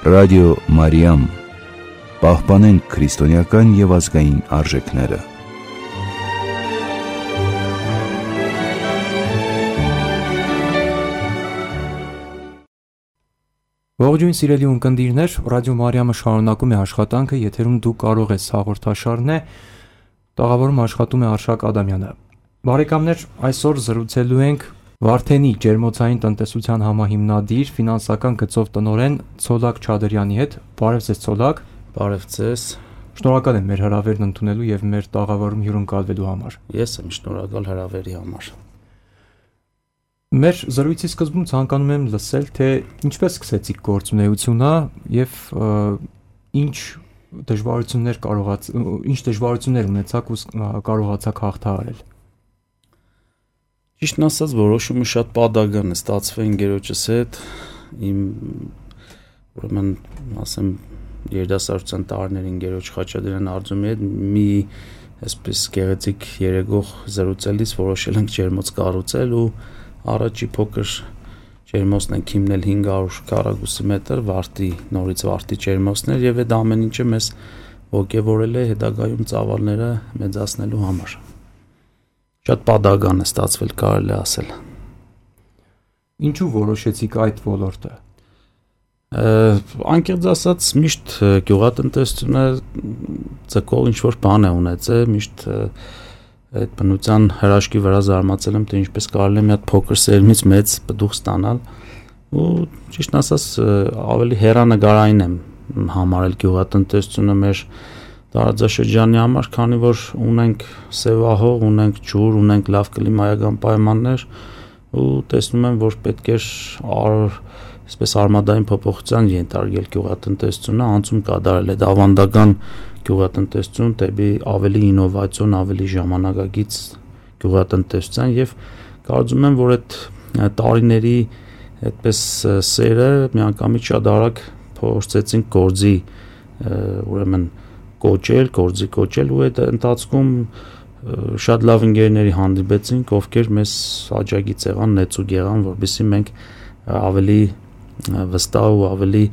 Ռադիո Մարիամ, պահպանենք քրիստոնեական և ազգային արժեքները։ Ողջույն սիրելի ունկնդիրներ, Ռադիո Մարիամը շարունակում է աշխատանքը, եթերում դու կարող ես հաղորդաշարն է, տաղավարում աշխատում է Արշակ Ադամյանը։ Բարեկամներ, այսօր զրուցելու ենք Վարդենի ջերմոցային տնտեսության համահիմնադիր, ֆինանսական գծով տնօրեն Ցոլակ Չադրյանի հետ։ Բարև ձեզ Ցոլակ։ Բարև ձեզ։ Շնորհակալ եմ մեր հրավերն ընդունելու եւ մեր տաղավարում հյուրընկալվելու համար։ Ես եմ շնորհակալ հրավերի համար։ Մեր զրույցի սկզբում ցանկանում եմ լսել, թե ինչպես սկսեցիք գործունեությունը եւ ինչ դժվարություններ ունեցաք ու կարողացաք հաղթահարել։ Ճիշտն ասած, որոշումը շատ պատահական է ստացվել ընկերոջս հետ, իմ ուրեմն ասեմ երիտասարդության տարիների ընկերոջ Խաչատրյան Արձումի հետ մի այսպես գեղեցիկ երեգող զրուցելիս որոշել ենք ջերմոց կառուցել ու առաջի փոքր ջերմոցն ենք հիմնել 500 քառակուսի մետր նորից վարտի ջերմոցներ եւ այդ ամեն ինչը մեզ ոգևորել է հետագայում ծավալները մեծացնելու համար։ Շատ պատահական է ստացվել, կարելի է ասել։ Ինչու որոշեցիք այդ ոլորտը։ Անկեղծ ասած, միշտ գյուղատնտեսությունը ձգող ինչ-որ բան է ունեցել, միշտ այդ բնության հրաշքի վրա զարմացել եմ, թե ինչպես կարելի է մի հատ փոքր սերմից մեծ պտուղ ստանալ, ու ճիշտն ասած, ավելի հեռանկարային եմ համարել գյուղատնտեսությունը մեր տարածաշրջանի համար, քանի որ ունենք սևահող, ունենք ջուր, ունենք լավ կլիմայական պայմաններ ու տեսնում եմ, որ պետք է այսպես արմադային փոփոխության ենթարկել գյուղատնտեսությունը, անցում կատարել այդ ավանդական գյուղատնտեսություն դեպի ավելի ինովացիոն, ավելի ժամանակակից գյուղատնտեսության եւ կարծում եմ, որ այդ տարիների այդպես սերը միանգամից շատ արագ փորձեցինք գործի ուրեմն գործի կոչել ու այդ ընթացքում շատ լավ ընկերների հանդիպեցինք, ովքեր մեզ աջակից եղան, նեցուկ եղան, որպեսզի մենք ավելի վստահ ու ավելի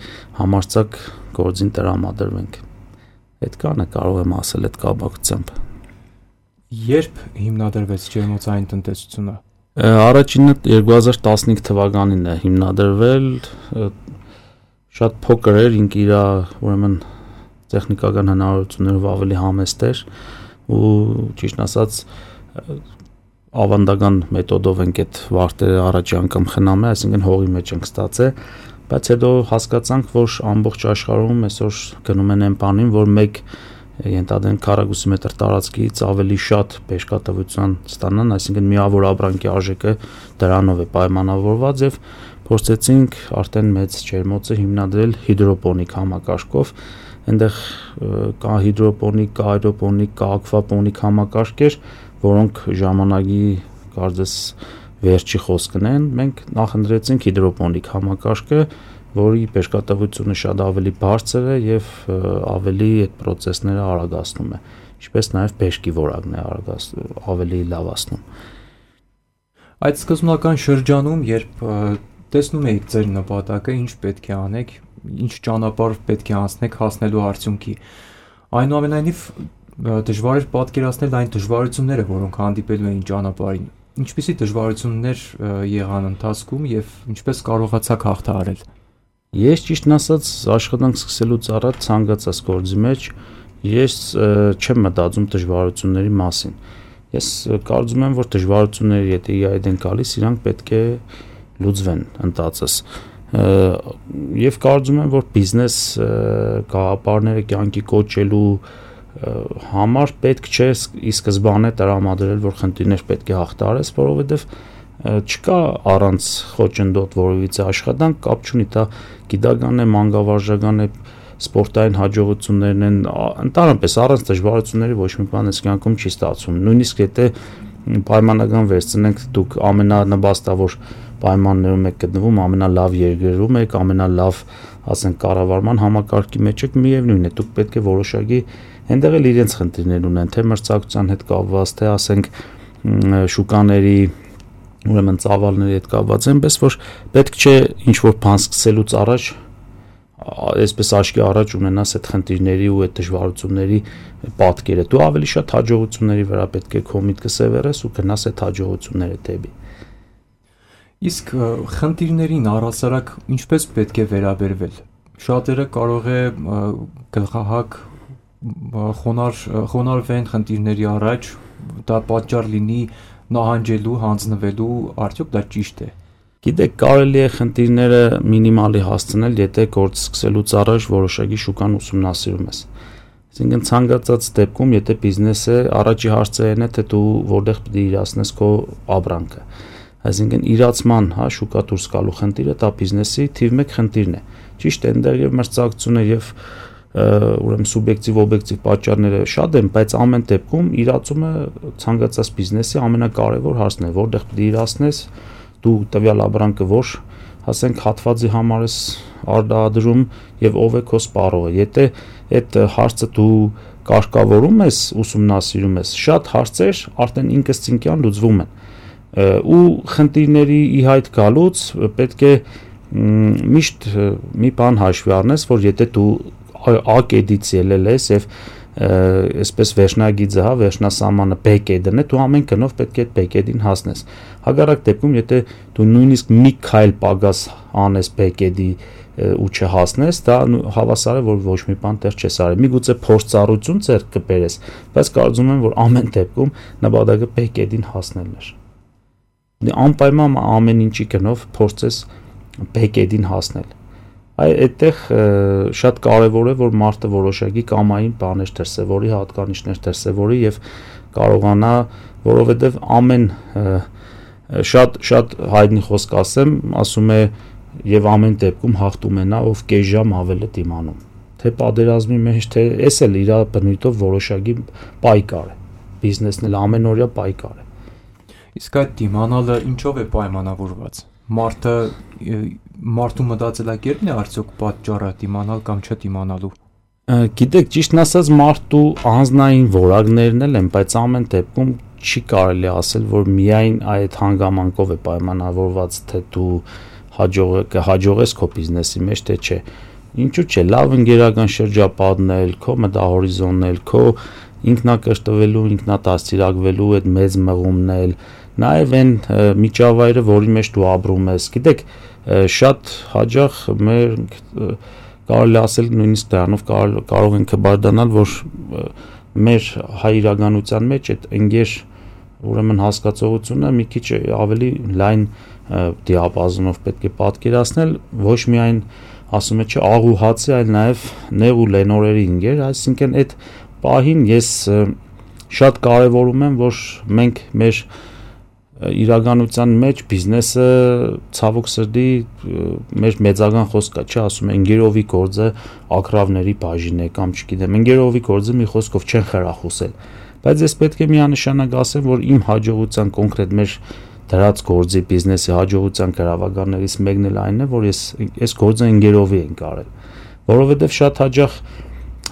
համարձակ գործին տրամադրվենք։ Այդքանը կարող եմ ասել այդ կապակցությամբ։ Երբ հիմնադրվեց ջերմոցային տնտեսությունը։ Առաջինը 2015 թվականին է հիմնադրվել, շատ փոքր էր, ինքն իր ուրեմն տեխնիկական հնարավորություններով ավելի համեստ էր ու ճիշտ ասած ավանդական մեթոդով ենք այդ վարտերը առաջի անգամ խնամել, այսինքն հողի մեջ ենք ստացել, բայց հետո հասկացանք, որ ամբողջ աշխարհում այսօր գնում են այն բանին, որ մեկ ենթադրենք քառակուսի մետր տարածքից ավելի շատ բեժկատվության ստանան, այսինքն միավոր ապրանքի արժեքը դրանով է պայմանավորված եւ փորձեցինք արդեն մեծ ջերմոցը հիմնադրել հիդրոպոնիկ համակարգով։ Այնտեղ կա հիդրոպոնիկ, կա աերոպոնիկ, կա ակվապոնիկ համակարգեր, որոնք ժամանակի կարծես վերջի խոսքն են։ Մենք նախընտրեցինք հիդրոպոնիկ համակարգը, որի բեժկատվությունը շատ ավելի բարձր է եւ ավելի այդ process-ները արագացնում է, ինչպես նաեւ բեժկի որակն է ավելի լավացնում։ Այդ սկզբնական շրջանում, երբ տեսնում եք ձեր նպատակը, ինչ պետք է անեք, ինչ ճանապարհ պետք է անցնեք հասնելու արդյունքի, այնուամենայնիվ դժվար էր պատկերացնել այն դժվարությունները, որոնք հանդիպելու էին ճանապարհին։ Ինչպիսի դժվարություններ եղան ընթացքում եւ ինչպես կարողացաք հաղթահարել։ Ես ճիշտն ասած աշխատանք սկսելուց առաջ ցանկացած գործի մեջ ես չեմ մտածում դժվարությունների մասին։ Ես կարծում եմ, որ դժվարությունները եթե իհայտ են գալիս, իրանք պետք է լուծվեն ընթացս։ Եվ կարծում եմ, որ բիզնես գաղափարները կյանքի կոչելու համար պետք չէ ի սկզբանե տրամադրել, որ խնդիրներ պետք է հաղթահարես, որովհետև չկա առանց խոչընդոտ որևիցե աշխատանք, կապ չունի դա գիտական է, մանկավարժական է, սպորտային հաջողություններն են, ընդհանրապես առանց դժվարությունների ոչ մի բան այս կյանքում չի ստացվում։ Նույնիսկ եթե պայմանական վերցնենք, դուք ամենանպաստավոր պայմաններում եք գտնվում, ամենալավ երկրում եք, ամենալավ, ասենք, կառավարման համակարգի մեջ եք, միևնույն է, դուք պետք է որոշակի այնտեղ էլ իրենց խնդիրներ ունեն, թե մրցակցության հետ կապված, թե ասենք շուկաների ուրեմն ծավալների հետ կապված, այնպես որ պետք չէ ինչ որ բան սկսելուց առաջ այսպես աչքի առաջ ունենաս այդ խնդիրների ու այդ դժվարությունների պատկերը, դու ավելի շատ հաջողությունների վրա պետք է քո միտքը սևեռես ու գնաս այդ հաջողությունները դեպի։ Իսկ խնդիրներին առհասարակ ինչպես պետք է վերաբերվել։ Շատերը կարող է գլխահակ խոնարհվեն խնդիրների առաջ, դա պատճառ լինի նահանջելու, հանձնվելու, արդյոք դա ճիշտ է։ Գիտեք, կարելի է խնդիրները մինիմալի հասցնել, եթե գործ սկսելուց առաջ որոշակի շուկան ուսումնասիրում ես։ Այսինքն ցանկացած դեպքում, եթե բիզնեսը առաջի հարցը այն է, թե դու որտեղ պետք է իրացնես քո ապրանքը։ Այսինքն իրացման, շուկա դուրս գալու խնդիրը դա բիզնեսի թիվ 1 խնդիրն է։ Ճիշտ է, այնտեղ եւ մրցակցությունը եւ ուրեմն սուբյեկտիվ օբյեկտիվ պատճառները շատ են, բայց ամեն դեպքում իրացումը ցանկացած բիզնեսի ամենակարևոր հարցն է, որտեղ պետք է իրացնես, դու տվյալ ապրանքը որ ասենք հատվածի համար ես արդարադրում եւ ով է քո սպառողը։ Եթե այդ հարցը դու կարգավորում ես, ուսումնասիրում ես, շատ հարցեր արդեն ինքնըստինքյան լուծվում են։ Ու խնդիրների ի հայտ գալուց պետք է միշտ մի բան հաշվի առնես, որ եթե դու A կետից ելել ես եւ այսպես վերջնագիծը, վերջնասահմանը B կետն է, դու ամեն գնով պետք է այդ B կետին հասնես։ Հակառակ դեպքում, եթե դու նույնիսկ մի քայլ պակաս անես B կետի ու չհասնես, դա հավասար է, որ ոչ մի բան տեղ չես արել։ Միգուցե փորձառություն ձեռք կբերես, բայց կարծում եմ, որ ամեն դեպքում նպատակը B կետին հասնելն է։ Անպայման ամեն ինչի գնով փորձես B կետին հասնել։ Այդտեղ շատ կարևոր է, որ մարդը որոշակի կամային բաներ դրսևորի, հատկանիշներ դրսևորի եւ կարողանա, որովհետեւ ամեն շատ հայտնի խոսք ասում է եւ ամեն դեպքում հաղթում է նա, ով կես ժամ ավել է դիմանում։ Թե պատերազմի մեջ, թե էս էլ իր բնույթով որոշակի պայքար է։ Բիզնեսն էլ ամենօրյա պայքար է։ Իսկ այդ դիմանալը ինչով է պայմանավորված։ Մարդու մտածելակերպն է արդյոք պատճառը դիմանալ կամ չդիմանալու։ Գիտեք, ճիշտն ասած մարդու անձնային որակներն են, բայց ամեն դեպքում չի կարելի ասել, որ միայն այդ հանգամանքով է պայմանավորված, թե դու կհաջողես քո բիզնեսի մեջ, թե չէ։ Ինչու՞ չէ, լավ ընկերական շրջապատն էլ, քո մտահորիզոնն էլ, քո ինքնակրթվելու, ինքնադաստիարակվելու այդ մեծ մղումն էլ, նաև այն միջավայրը, որի մեջ դու ապրում ես։ Գիտեք, շատ հաճախ մեր կարելի ասել նույնիսկ դրանով կարող ենք բարձրանալ, որ մեր հայ իրականության մեջ այդ ընկեր ուրեմն հասկացողությունը մի քիչ ավելի լայն դիապազոնով պետք է պատկերացնել, ոչ միայն ասում է չէ աղ ու հացի, այլ նաև նեղ ու լենորերի ընկեր, այսինքն այդ պահին ես շատ կարևորում եմ, որ մենք մեր իրականության մեջ բիզնեսը ցավոք սրտի մեր մեծական խոսքա չէ, ասում են ընկերովի գործը ակրավների բաժին է կամ չգիտեմ, ընկերովի գործը մի խոսքով չեն խրախուսել, բայց ես պետք է միանշանակ ասեմ, որ իմ հաջողության կոնկրետ մեր դրած գործի բիզնեսի հաջողության գրավականներից մեկն էլ այն է, որ ես գործը ընկերովի ենք արել, որովհետև շատ հաճախ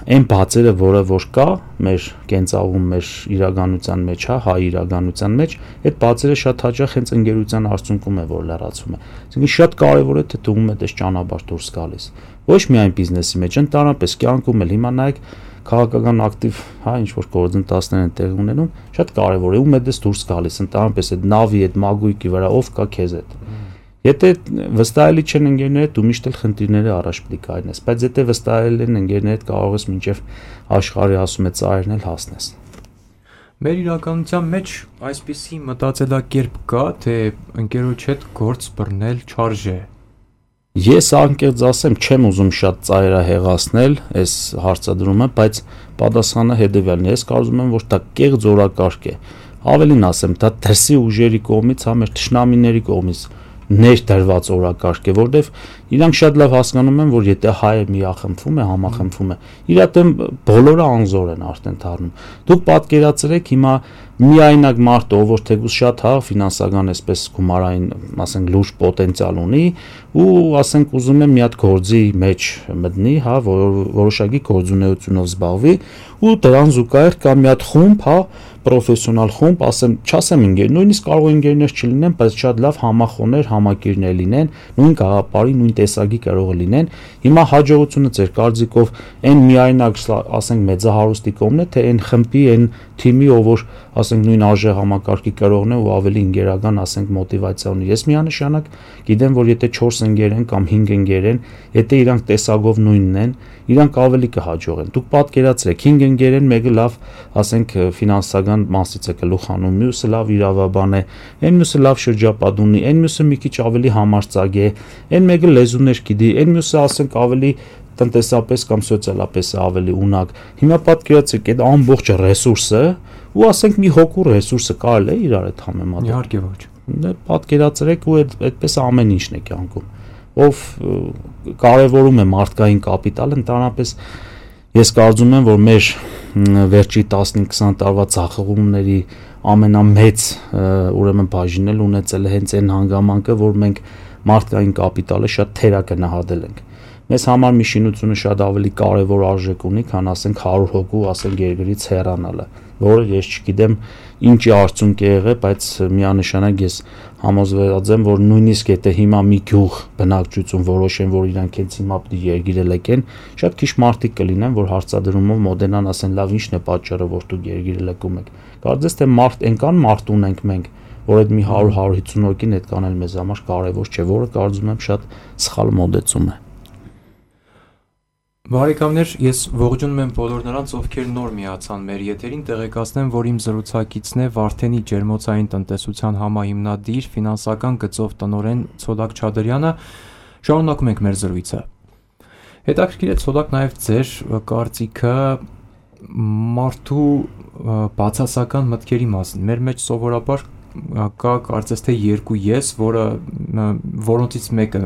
այն բացերը, որը որ կա մեր կենցաղում, մեր իրականության մեջ, հայ իրականության մեջ, այդ բացերը շատ հաճախ հենց ընկերության արդյունքում է, որ լրացվում է։ Այսինքն շատ կարևոր է, թե դու ում ես ճանապարհ դուրս գալիս։ Ոչ միայն բիզնեսի մեջ, ընդհանրապես կյանքում էլ հիմա նայեք քաղաքական ակտիվ, ինչ որ գործընթացներ են տեղի ունենում, շատ կարևոր է ում ես դուրս գալիս, ընդհանրապես այդ նավի, այդ մագույկի վրա ով կա քեզ հետ։ Եթե վստահելի չեն ընկերները, դու միշտ էլ խնդիրները առաջ պետք է կայնես, բայց եթե վստահել են ընկերները, կարող ես մինչև աշխարհի ասում է ծայրն էլ հասնես։ Մեր իրականության մեջ այսպիսի մտածելակերպ կա, թե ընկերոջ հետ գործ բռնել չարժե։ Ես անկեղծ ասեմ, չեմ ուզում շատ ծայրահեղացնել այս հարցադրումը, բայց պատասխանը հետևյալն է։ Ես կարծում եմ, որ դա կեղծ օրակարգ է։ Ավելին ասեմ, դա դրսի ուժերի կողմից, մեր թշնամիների կողմից ներդրված օրակարգ է, որտեվ իրանք շատ լավ հասկանում են, որ եթե հայը միախմբվում է, համախմբվում է, իր դեմ բոլորը անզոր են արդեն դառնում։ Դուք պատկերացրեք հիմա միայնակ մարդը, ով որ թեկուզ շատ ֆինանսական այսպես գումարային, ասենք լուրջ պոտենցիալ ունի ու ասենք ուզում է մի հատ գործի մեջ մտնի, որոշակի գործունեությունով զբաղվի ու դրան զուգահեռ կա մի հատ խումբ, պրոֆեսիոնալ խումբ, չասեմ ընկեր, նույնիսկ կարող է ընկերներ չլինեն, բայց շատ լավ համախոհներ, համակիրներ լինեն, նույն գաղափարի, նույն տեսակի կարող լինեն։ Հիմա հաջողությունը ձեր կարծիքով այն միայնակ, ասենք մեծահարուստի կողմն է, թե այն խմբի, այն թիմի, ով որ ասենք նույն արժե համակարգի կրողն է ու ավելի ընկերական, ասենք մոտիվացիա ունի։ Ես միանշանակ գիտեմ, որ եթե 4 ընկեր են կամ 5 ընկեր են, եթե իրանք տեսակով նույնն են, իրանք ավելի կհաջողեն։ Դուք պատկերացրեք 5 ընկեր են, մեկը լավ, ասենք ֆինանսական մասից է գլուխ հանում, մյուսը լավ իրավաբան է, այն մյուսը լավ շրջապատ ունի, այն մյուսը մի քիչ ավելի համարձակ է, այն մեկը լեզուներ գիտի, այն մյուսը ասենք ավելի տնտեսապես կամ սոցիալապես ավելի ունակ։ Հիմա պատկերացրեք այդ ամբողջ ռեսուրսը ու ասենք մի հոգու ռեսուրսը կարելի է իրար հետ համեմատել։ Իհարկե ոչ։ Պատկերացրեք ու այդպես ամեն ինչն է կյանքում։ Ով կարևորում է մարդկային կապիտալը, ընդհանրապես ես կարծում եմ, որ մեր վերջի 15-20 տարվա ցախողումների ամենամեծ ուրեմն բաժինը ունեցել է հենց այն հանգամանքը, որ մենք մարդկային կապիտալը շատ թերագնահատել ենք։ Մեզ համար մի շինությունը շատ ավելի կարևոր արժեք ունի, քան ասենք 100 հոգու, ասենք երկրից հեռանալը, որը ես չգիտեմ ինչի արդյունք է եղել, բայց միանշանակ ես համոզված եմ, որ նույնիսկ եթե հիմա մի գյուղ բնակչություն որոշեն, որ իրանք հենց հիմա պիտի երկիրը լեկեն, շատ քիչ մարդիկ կլինեն, որ հարցադրումով մոդենան ասեն, լավ, ինչն է պատճառը, որ դուք երկիրը լեկում եք։ Կարծես թե այնքան մարդ ունենք մենք, որ այդ մի 100-150 հոգին այդ կանել մեզ համար կարևոր չէ, որը կարծում եմ շատ սխալ մոդեցում է։ Բարեկամներ, ես ողջունում եմ բոլոր նրանց, ովքեր նոր միացան մեր եթերին, տեղեկացնեմ, որ իմ զրուցակիցն է Վարդենի ջերմոցային տնտեսության համահիմնադիր, ֆինանսական գծով տնօրեն Ցոլակ Չադրյանը։ Շարունակում ենք մեր զրույցը։ Հետաքրքիր է Ցոլակ նաև ձեր կարծիքը մարդու բացասական մտքերի մասին։ Մեր մեջ սովորաբար կա կարծես թե երկու ես, որոնցից մեկը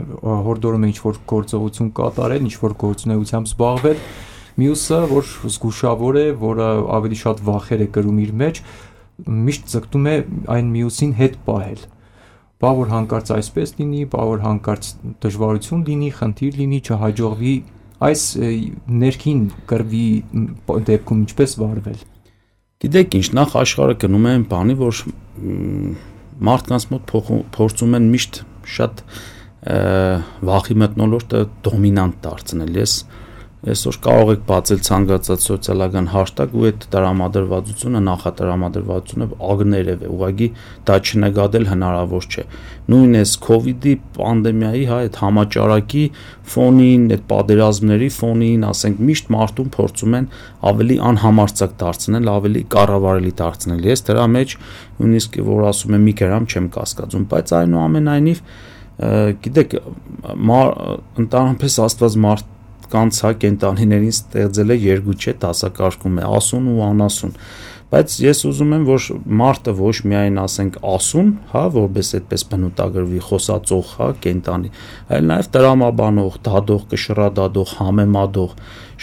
հորդորում է ինչ-որ գործողություն կատարել, ինչ-որ գործունեությամբ զբաղվել, մյուսը, որ զգուշավոր է, որը ավելի շատ վախեր է կրում իր մեջ, միշտ ձգտում է այն մյուսին հետ պահել։ Բա որ հանկարծ այսպես լինի, բա որ հանկարծ դժվարություն լինի, խնդիր լինի, չհաջողվի, այս ներքին կռվի դեպքում ինչպես վարվել։ Գիտեք ինչ, նախ աշխարհը գնում է այն բանի, որ մարդկանց մոտ փորձում են միշտ շատ վախի մթնոլորտը դոմինանտ դարձնել։ Ես այսօր կարող եք բացել ցանկացած սոցիալական հաշտագ ու այդ տրամադրվածությունը, նախատրամադրվածությունը ագներև է, ուղղակի դա չնկատել հնարավոր չէ։ Նույն էս COVID-ի պանդեմիայի, այդ համաճարակի ֆոնին, այդ պատերազմների ֆոնին, ասենք միշտ մարդուն փորձում են ավելի անհամարձակ դարձնել, ավելի կառավարելի դարձնել։ Ես դրա մեջ նույնիսկ որ ասում եմ մի գրամ չեմ կասկածում, բայց այնուամենայնիվ գիտեք, ընդհանրապես Աստված կանց կենտանիներին ստեղծել է երկու չէ, դասակարգում է ասուն ու անասուն, բայց ես ուզում եմ, որ մարդը ոչ միայն ասենք ասուն, որպես այդպես բնութագրվի խոսածող, կենտանի, այլ նաև տրամաբանող, դադող, կշռադադող, համեմատող,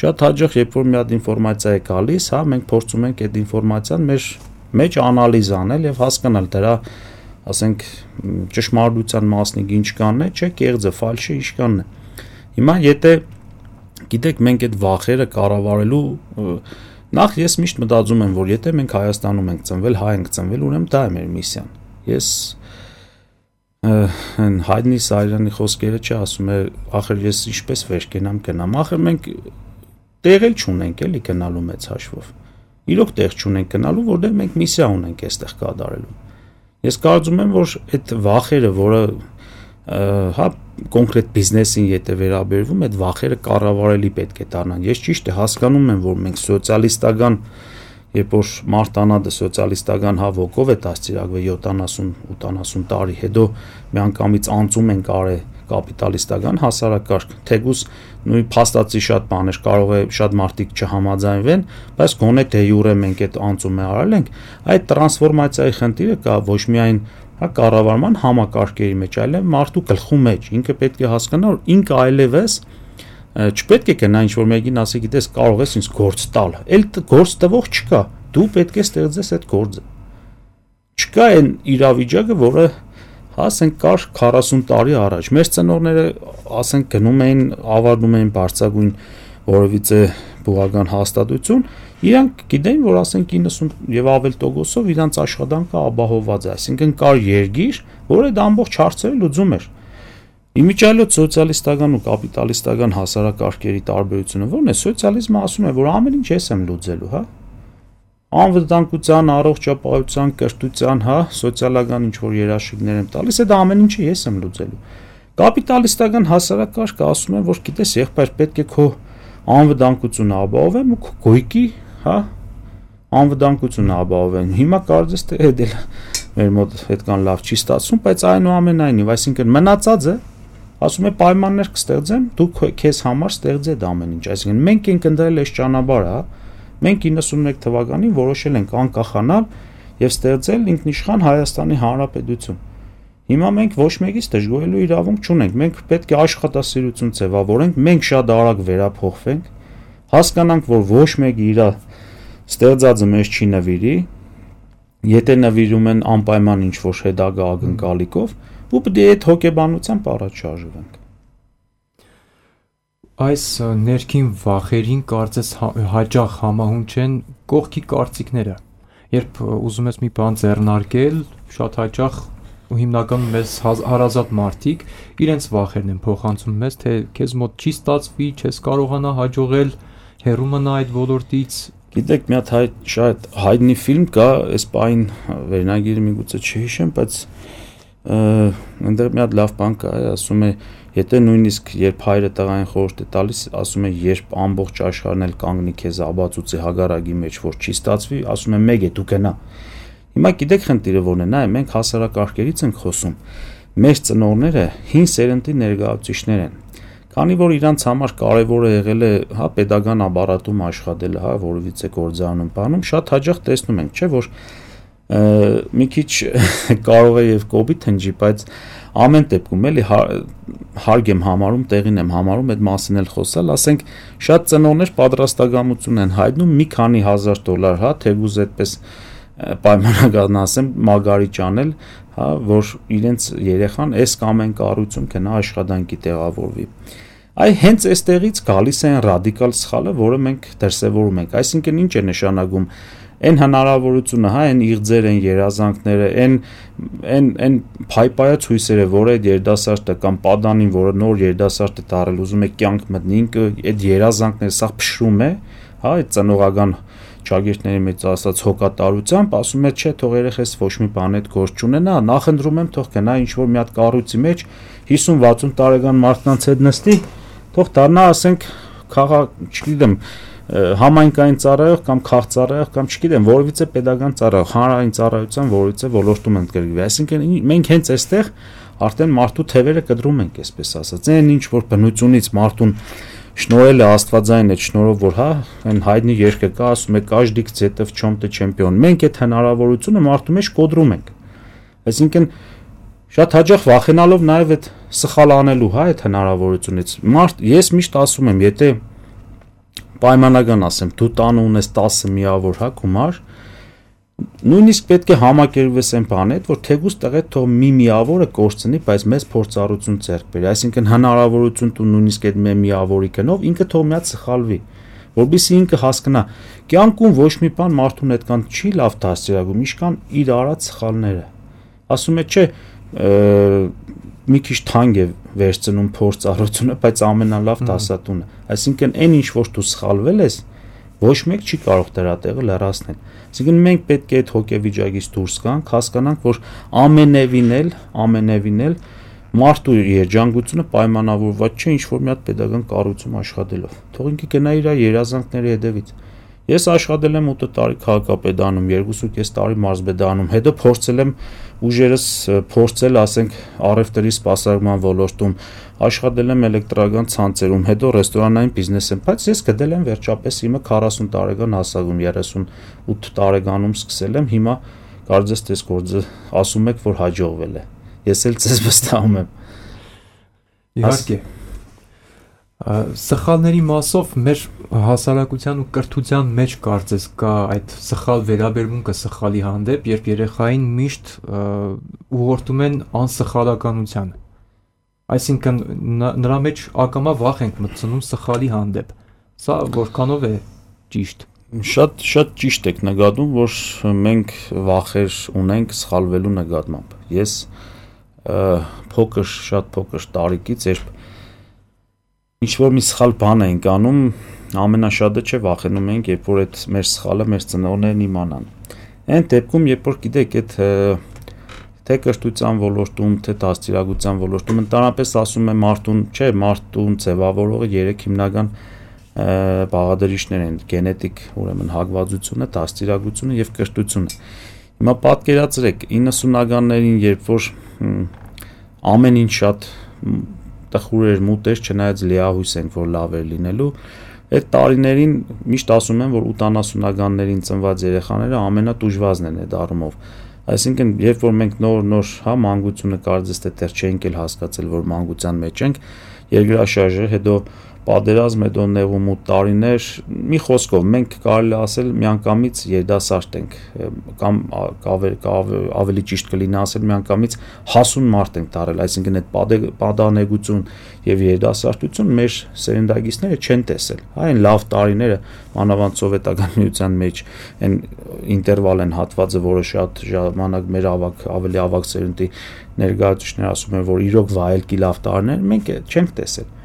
շատ հաճախ երբ որ մի հատ ինֆորմացիա է գալիս, մենք փորձում ենք այդ ինֆորմացիան մեր մեջ անալիզ անել եւ հասկանալ դրա, ասենք, ճշմարտության մասնիկ ինչ կանն է, չէ, կեղծը, ֆալշը ինչ կանն է։ Հիմա եթե գիտեք, մենք այդ վախերը կառավարելու նախ ես միշտ մտածում եմ, որ եթե մենք Հայաստանում ենք ծնվել, հայ ենք ծնվել, ուրեմն դա է մեր միսիան։ Ես հայտնի Սարյանի խոսքերը չասում է, ախր ես ինչպես վեր կենամ, ախր մենք տեղ էլ չունենք էլի գնալու մեծ հաշվով։ Իրոք տեղ չունենք գնալու, որտեղ մենք միսիա ունենք այստեղ կատարելու։ Ես կարծում եմ, որ այդ վախերը, որը կոնկրետ բիզնեսին եթե վերաբերվում, այդ վախերը կառավարելի պետք է դառնան։ Ես ճիշտ է հասկանում եմ, որ մենք սոցիալիստական, երբ որ մարտանադը սոցիալիստական ոգով է դաստիարակվել 70-80 տարի, հետո միանգամից անցում ենք արել կապիտալիստական հասարակարգ, թեկուզ նույն փաստացի շատ բաներ կարող է շատ մարդիկ չհամաձայնվեն, բայց գոնե դե յուրե մենք այդ անցումը արել ենք, այդ տրանսֆորմացիայի խնդիրը կա ոչ միայն կառավարման համակարգերի մեջ, այլև մարդու գլխու մեջ, ինքը պետք է հասկանա, որ ինքը այլևս չպետք է գնա ինչ-որ մեկին ասի, գիտես, կարող ես ինձ գործ տալ, էլ գործ տվող չկա, դու պետք է ստեղծես այդ գործը։ չկա այն իրավիճակը, որը ասենք կար 40 տարի առաջ։ Մեր ծնողները ասենք գնում էին, ավարտում էին բարձրագույն որևիցե բուղական հաստատություն, իրանք գիտեին, որ ասենք 90 եւ ավել տոկոսով իրանց աշխատանքը ապահովված է, այսինքն կար երգիր, որը այդ ամբողջ հարցերը լուծում էր։ Իմիջիայլոց սոցիալիստական ու կապիտալիստական հասարակարգերի տարբերությունը ո՞րն է։ Սոցիալիզմը ասում է, որ ամեն ինչ ես եմ լուծելու, հա։ Անվտանգության, առողջապահության, կրթության, հա, սոցիալական ինչ-որ երաշխիքներ եմ տալիս, այդ ամեն ինչը ես եմ լուծելու։ Կապիտալիստական հասարակարգը ասում է, որ գիտես, եղբայր, պետք է քո անվտանգությունը ապահովեմ ու քո գույքի, հա, անվտանգությունը ապահովեմ։ Հիմա կարծես թե այդ էլ մեր մոտ այդքան լավ չի ստացվում, բայց այնուամենայնիվ, այսինքն մնացածը ասում է պայմաններ կստեղծեմ, դու քեզ համար ստեղծի այդ ամեն ինչ, այսինքն մենք ենք ընտրել այս ճանապարհը, հա։ Մենք 91 թվականին որոշել ենք անկախանալ եւ ստեղծել ինքնիշխան Հայաստանի Հանրապետություն։ Հիմա մենք ոչ մեկից դժգոհելու իրավունք չունենք։ Մենք պետք է աշխատասիրություն ձևավորենք, մենք շատ արագ վերափոխվենք, հասկանանք, որ ոչ մեկը իր ստեղծածը մեզ չի նվիրի, եթե նվիրում են անպայման ինչ-որ հետագա ակնկալիքով, ու պետք է այդ հոգեբանությամբ առաջ շարժվենք։ Այս ներքին վախերին կարծես հաճախ համահունչ են կողքի կարծիքները։ Երբ ուզում ես մի բան ձեռնարկել, շատ հաճախ ու հիմնականում մեզ հարազատ մարդիկ իրենց վախերն են փոխանցում մեզ, թե քեզ մոտ չի ստացվի, չես կարողանա հաջողել, հեռու մնա այդ ոլորտից։ Գիտեք, մի հատ շատ հայտնի ֆիլմ կա, այս պայն վերնագիրը միգուցե չհիշեմ, բայց այնտեղ մի հատ լավ բան կա, ասում է, եթե նույնիսկ երբ հայրը տղային խորհուրդ է տալիս, ասում է, երբ ամբողջ աշխարհն էլ կանգնի քեզ աբացուցի հագարագի մեջ, որ չի ստացվի, ասում է, մեկ է դու գնա։ Հիմա գիտեք խնդիրը որն է, նայ, մենք հասարակարգերից ենք խոսում։ Մեր ծնողները հին սերնդի ներկայացուցիչներ են։ Քանի որ իրանց համար կարևոր է եղել է, հա, pedagogan ապարատում աշխատելը, հա, որովից է գործանում բանում, շատ հաճախ տեսնում ենք, չէ, որ մի քիչ կարող է եւ կոպիտ հնչի, բայց ամեն դեպքում էլի հարկ եմ համարում, տեղին եմ համարում այդ մասին էլ խոսալ, ասենք շատ ծնողներ պատրաստակամություն են հայտնում մի քանի $1000, հա, թեգուզ այդպես պայմանական ասեմ, մագարիչ անել, հա, որ իրենց երեխան այս կամ այն կառույցում գնա աշխատանքի տեղավորվի։ Այ հենց այստեղից գալիս է այն ռադիկալ սխալը, որը մենք դրսևորում ենք, այսինքն ինչ է նշանակում այն հնարավորությունը, հա, այն իղձերը, այն երազանքները, այն փայփայած հույսերը, որ այդ երիտասարդը կամ պատանին, որը նոր երիտասարդ է դառել, ուզում է կյանք մտնի, ինքը այդ երազանքները սա փշրում է, հա, այդ ծնողական ճագիրտների մեջ ասած հոգատարությամբ, ասում է, չէ, թող երեխես ոչ մի բան այդ գործ չունենա, նախընտրում եմ թող գնա ինչ-որ մի հատ կառույցի մեջ 50-60 տարեկան մարդկանց հետ նստի, թող դառնա, ասենք, չգիտեմ, համայնքային ծառայող կամ քաղծառայող կամ չգիտեմ, որևիցե pedagogan ծառայող, հանրային ծառայության որևիցե ոլորտում ընդգրկվի։ Այսինքն մենք հենց այստեղ արդեն մարդու թևերը կտրում ենք, այսպես ասած։ Այն ինչ որ բնությունից մարդուն շնորհել է Աստվածային այդ շնորհով, որ հա, այն հայտնի երգը կա, ասում է «Каждый где-то в чем-то чемпион»։ Մենք այդ հնարավորությունը մարդու մեջ կոտրում ենք։ Այսինքն շատ հաճախ վախենալով նաև այդ սխալ անելու, հա, այդ հնարավորությունից։ Ես միշտ ասում եմ, եթե պայմանական ասեմ, դու տանը ունես 10 միավոր, հա, գումար, նույնիսկ պետք է համակերպվես այն բանի հետ, որ թեկուզ տղեդ թող մի միավորը կորցնի, բայց մեծ փորձառություն ձեռք բերի, այսինքն հնարավորություն տու նույնիսկ այդ միավորի գնով ինքը թող մի հատ սխալվի, որովհետեւ ինքը հասկանա, կյանքում ոչ մի բան մարդուն այդքան չի լավ դաստիարակում, ինչքան իր արած սխալները։ Ասում է, չէ, մի քիչ թանկ է վերցնում փորձառությունը, բայց ամենալավ դասատունը։ Այսինքն այն ինչ որ դու սխալվել ես, ոչ մեկ չի կարող դրա տեղը լրացնել։ Այսինքն մենք պետք է այդ հոգեվիճակից դուրս գանք, հասկանանք, որ ամենևին էլ մարդու երջանկությունը պայմանավորված չէ ինչ որ մի հատ pedagogan կառույցում աշխատելով։ Թող ինքը գնա իր երազանքների հետևից։ Ես աշխատել եմ 8 տարի քաղաքապետանում, 2.5 տարի մարզպետանում, հետո փորձել եմ ուժերս փորձել, ասենք, առևտրի սպասարկման ոլորտում, աշխատել եմ էլեկտրական ցանցերում, հետո ռեստորանային բիզնեսում, բայց ես գտել եմ վերջապես իմը 40 տարեկան հասակում, 38 տարեկանում սկսել եմ, հիմա կարծես թե գործը ասում եք, որ հաջողվել է։ Ես էլ ձեզ վստահում եմ։ Իհարկե։ Սխալների մասով մեր հասարակության ու կրթության մեջ կարծես կա այդ սխալ վերաբերմունքը սխալի հանդեպ, երբ երեխային միշտ ուղղորդում են անսխալականությանը։ Այսինքն նրա մեջ ակամա վախ ենք մտցնում սխալի հանդեպ։ Սա որքանով է ճիշտ։ Շատ ճիշտ եք նկատում, որ մենք վախեր ունենք սխալվելու նկատմամբ։ Ես շատ փոքր տարիքից երբ ինչ-որ մի սխալ բան ենք անում, ամենաշատը չէ վախենում ենք, երբ որ այդ մեր սխալը մեր ծնողներն իմանան։ Այն դեպքում, երբ որ գիտեք, այդ թե կրթության ոլորտում, թե դաստիարակության ոլորտում, ընդհանրապես ասում եմ մարդուն ձևավորողը 3 հիմնական բաղադրիչներ են՝ գենետիկ, ուրեմն հակվածությունը, դաստիարակությունը եւ կրթությունը։ Հիմա պատկերացրեք 90-ականներին, երբ որ ամեն ինչ շատ տխուր էր, մութ էր, չնայած լիահույս ենք, որ լավ էր լինելու, այդ տարիներին միշտ ասում են, որ 80-ականներին ծնված երեխաները ամենատուժվածն են այդ առումով։ Այսինքն, երբ որ մենք նոր մանկությունը կարծես թե դեռ չենք էլ հասկացել, որ մանկության մեջ ենք, երկրաշարժը, հետո պատերազմ, հետո նեղումուտ տարիներ, մի խոսքով մենք կարելի ասել միանգամից երիտասարդ ենք, կամ ավելի ճիշտ կլինի ասել միանգամից հասուն մարդ ենք դարել, այսինքն այդ պատանեկություն եւ երիտասարդություն մեր սերնդագիցները չեն տեսել։ Այն լավ տարիները, մանավանդ սովետական միության մեջ այն ինտերվալ են հատվածը, որը շատ ժամանակ մեր ավելի ավագ սերունդի ներկայացուցիչներ ասում են, որ իրոք վայելքի լավ տարիներ մենք չենք տեսել։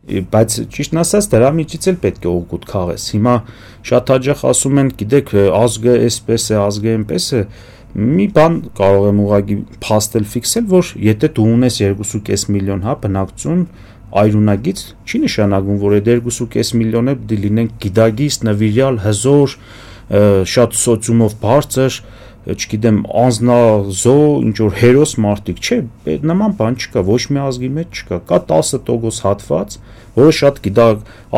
Բայց ճիշտն ասած դրա միջից էլ պետք է օգուտ քաղես։ Հիմա շատ հաճախ ասում են, գիտեք, ազգը էսպես է, ազգը այնպես է, մի բան կարող եմ ուղղակի փաստել, ֆիքսել, որ եթե դու ունես 2.5 միլիոն բնակչություն այրունագից, չի նշանակում, որ այդ 2.5 միլիոնը պիտի լինեն գիտագիստ, նվիրյալ, հզոր, շատ սոցիումով բարձր, չգիտեմ, անznազո, ինչ որ հերոս մարդիկ, չէ, նման բան չկա, ոչ մի ազգի մեջ չկա, կա 10% հատված, որը շատ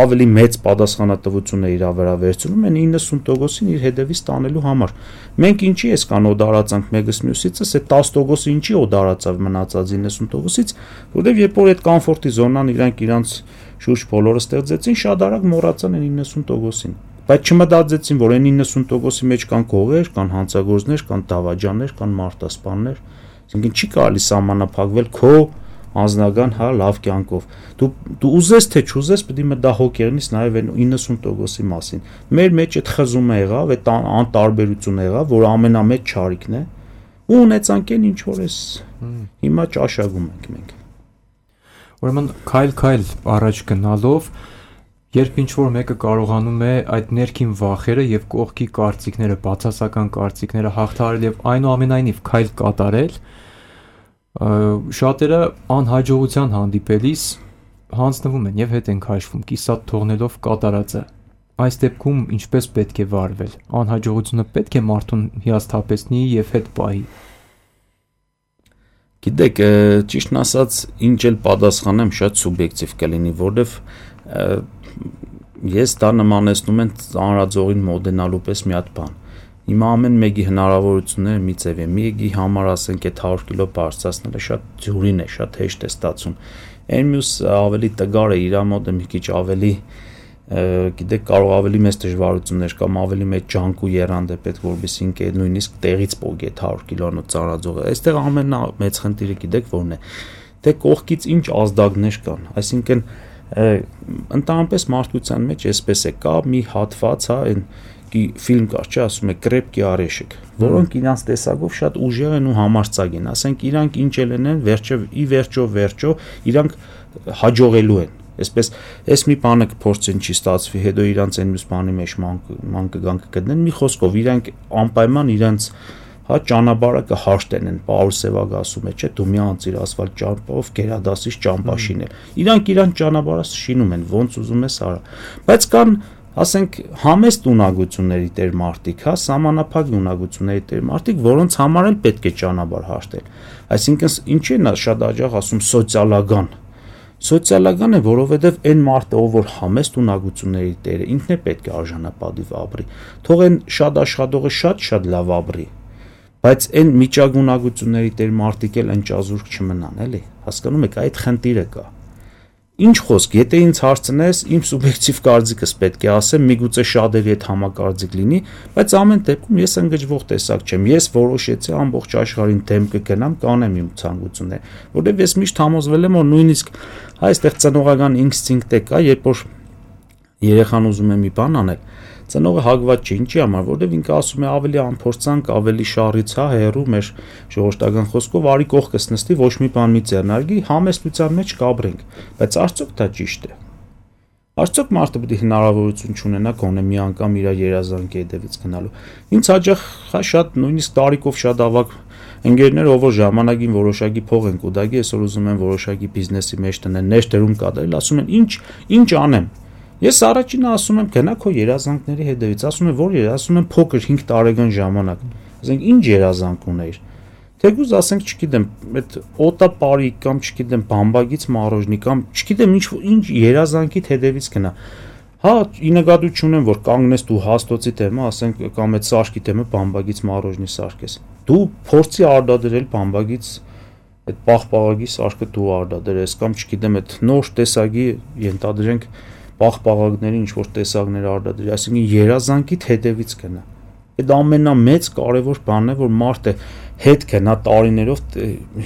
ավելի մեծ պատասխանատվություն է իր վրա վերցնում, են 90%-ին իր հետևից տանելու համար։ Մենք ինչի էսքան օդարացանք մեկս մյուսիցս, այդ 10%-ը ինչի օդարացավ մնացած 90%-ից, որովհետև երբ որ այդ կոմֆորտի զոնան իրանց շուրջ բոլորը ստեղծեցին, շատ արագ մոռացան այն 90%-ին։ Բայց չմտածեցին, որ այն 90%-ի մեջ կան գողեր, կան հանցագործներ, կան դավաճաններ, կան մարտասպաններ։ Այսինքն չի կարելի սահմանափակվել քո անձնական լավ կյանքով։ Դու ուզես թե չուզես, պետք է մտահոգ եղնես նաև այն 90%-ի մասին։ Մեր մեջ այդ խզումը եղավ, այդ անտարբերությունը եղավ, որ ամենամեծ չարիքն է, ու ունեցանք այն ինչ որ էս հիմա ճաշակում ենք մենք։ Ուրեմն քայլ առաջ գնալով, երբ ինչ-որ մեկը կարողանում է այդ ներքին վախերը եւ կողքի կարծիքները, բացասական կարծիքները հաղթահարել եւ այնուամենայնիվ քայլ կատարել, շատերը անհաջողության հանդիպելիս հանձնվում են եւ հետ են քաշվում, կիսատ թողնելով կատարածը։ Այս դեպքում ինչպես պետք է վարվել։ Անհաջողությունը պետք է մարդուն հիասթափեցնի եւ հետ պահի։ Գիտեք, ճիշտն ասած, ինչ էլ պատասխանեմ, շատ սուբյեկտիվ կլինի, որովհետեւ ես դա նմանեցնում եմ ծանրաձողին մոդենալու պես մի հատ բան։ Հիմա ամեն մեկի հնարավորությունները մի ձև է։ Մեկի համար ասենք այդ 100 կիլո բարձրացնելը շատ ձյուրին է, շատ հեշտ է ստացվում։ Այն մյուս ավելի տգար է, իր մոտ մի քիչ ավելի, գիտեք, կարող ավելի մեծ դժվարություններ կամ ավելի մեծ ջանք ու եռանդ է պետք, որովհետեւ ինքը նույնիսկ տեղից պոկի այդ 100 կիլոնոց ծանրաձողը։ Այստեղ ամենամեծ խնդիրը գիտեք որն է։ Թե կողքից ինչ ազդակներ կան, այսինքն ընդհանրապես մարդկության մեջ էսպես է, կա մի հատված, այն ֆիլմ կար, չէ, ասում է կրեպկի արեշիկ, որոնք իրանց տեսակով շատ ուժեղ են ու համարձակ են, ասենք իրանք ինչ էլ են, վերջո իրանք հաջողելու են, այսպես այս մի բանը կփորձեն չի ստացվի, հետո իրանց այն մյուս բանի մեջ ման կգան կգտնեն, մի խոսքով իրանք անպայման իրանց ճանապարհը կհաշտեն են, Պաուլ Սևագը ասում է, չէ, դու մի անցիր ասֆալտ ճամփով գերադասից ճամփա շինել։ Իրանք իրան ճանապարհը շինում են, ոնց ուզում ես արա։ Բայց կան, ասենք, համեստ ունակությունների տեր մարդիկ, սահմանափակ ունակությունների տեր մարդիկ, որոնց համար էլ պետք է ճանապարհ հաշտել։ Այսինքն, ինչի է շատ հաճախ ասում սոցիալական։ Սոցիալական է, որովհետև այն մարդը, ով որ համեստ ունակությունների տեր է, ինքն է պետք է արժանապատիվ ապրի։ Թող այն շատ աշխատողը շատ լավ ապրի։ Բայց այն միջագունակությունների տեր մարդիկ էլ ընճազուրկ չմնան, էլի, հասկանում եք, այդ խնդիրը կա։ Ինչ խոսք, եթե ինձ հարցնես, իմ սուբյեկտիվ կարծիքս պետք է ասեմ, միգուցե շատերի հետ համակարծիք լինի, բայց ամեն դեպքում ես ընկճվող տեսակ չեմ։ Ես որոշեցի ամբողջ աշխարհին դեմ կգնամ, կանեմ իմ ցանկությունները, որովհետև ես միշտ համոզվել եմ, որ նույնիսկ այստեղ ծնողական ինստինկտ կա, երբ որ երեխան ուզում է մի բան անել, ծնողը հագված չի, ինչի համար, որովհետև ինքը ասում է ավելի անփորձանք, ավելի շարից, հերու մեր ժողովրդական խոսքով արի կողքս նստի, ոչ մի բան մի ձեռնարկի, համեստության մեջ կաբրենք, բայց արդյոք դա ճիշտ է։ Արդյոք մարդը պետք է հնարավորություն չունենա գոնե մի անգամ իր երազանքի հետևից գնալու։ Ինձ հաճախ շատ նույնիսկ տարիքով շատ ավագ ընկերներ, ով որ ժամանակին որոշակի փող են կուտակի, այսօր ուզում են որոշակի բիզնեսի մեջ տնեն, ներդրում կատարել, ասում են ինչ անեմ։ Ես առաջինը ասում եմ գնա քո երազանքների հետևից, ասում եմ որ ասում եմ փոքր 5 տարեկան ժամանակ։ Ասենք ինչ երազանք ունեիր։ Թեկուզ ասենք, չգիտեմ, այդ օտապարի կամ չգիտեմ, բամբակից մառոժնի կամ չգիտեմ ինչ երազանքիդ հետևից գնա։ Հա, ի նկատի ունեմ, որ կանգնես դու հաստոցի թեմը, ասենք կամ այդ սարքի թեմը բամբակից մառոժնի սարքես։ Դու փորձի արդադրել բամբակից այդ պաղպաղակի սարքը դու արդադրես կամ չգիտեմ, այդ նոր տեսակի ենթադրենք պաղպաղակների ինչ որ տեսակներ արդադրի, այսինքն երազանքիդ հետևից գնա։ Այդ ամենամեծ կարևոր բանն է, որ մարդը հետ գնա տարիներով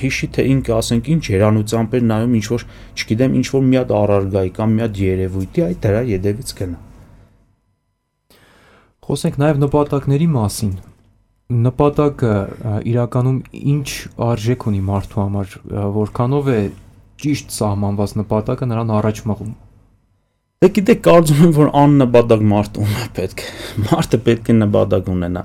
հիշի թե ինքը ասենք ինչ հերանությամբ էր նայում ինչ որ չգիտեմ ինչ որ մի հատ առարգայի կամ մի հատ երևույթի այդ դրա յետևից գնա։ Խոսենք նաև նպատակների մասին։ Նպատակը իրականում ինչ արժեք ունի մարդու համար, որքանով է ճիշտ սահմանված նպատակը նրան առաջ մղում։ Դե գիտեք, կարծում եմ, որ աննպատակ մարդ ունի պետք։ Մարդը պետք է նպատակ ունենա։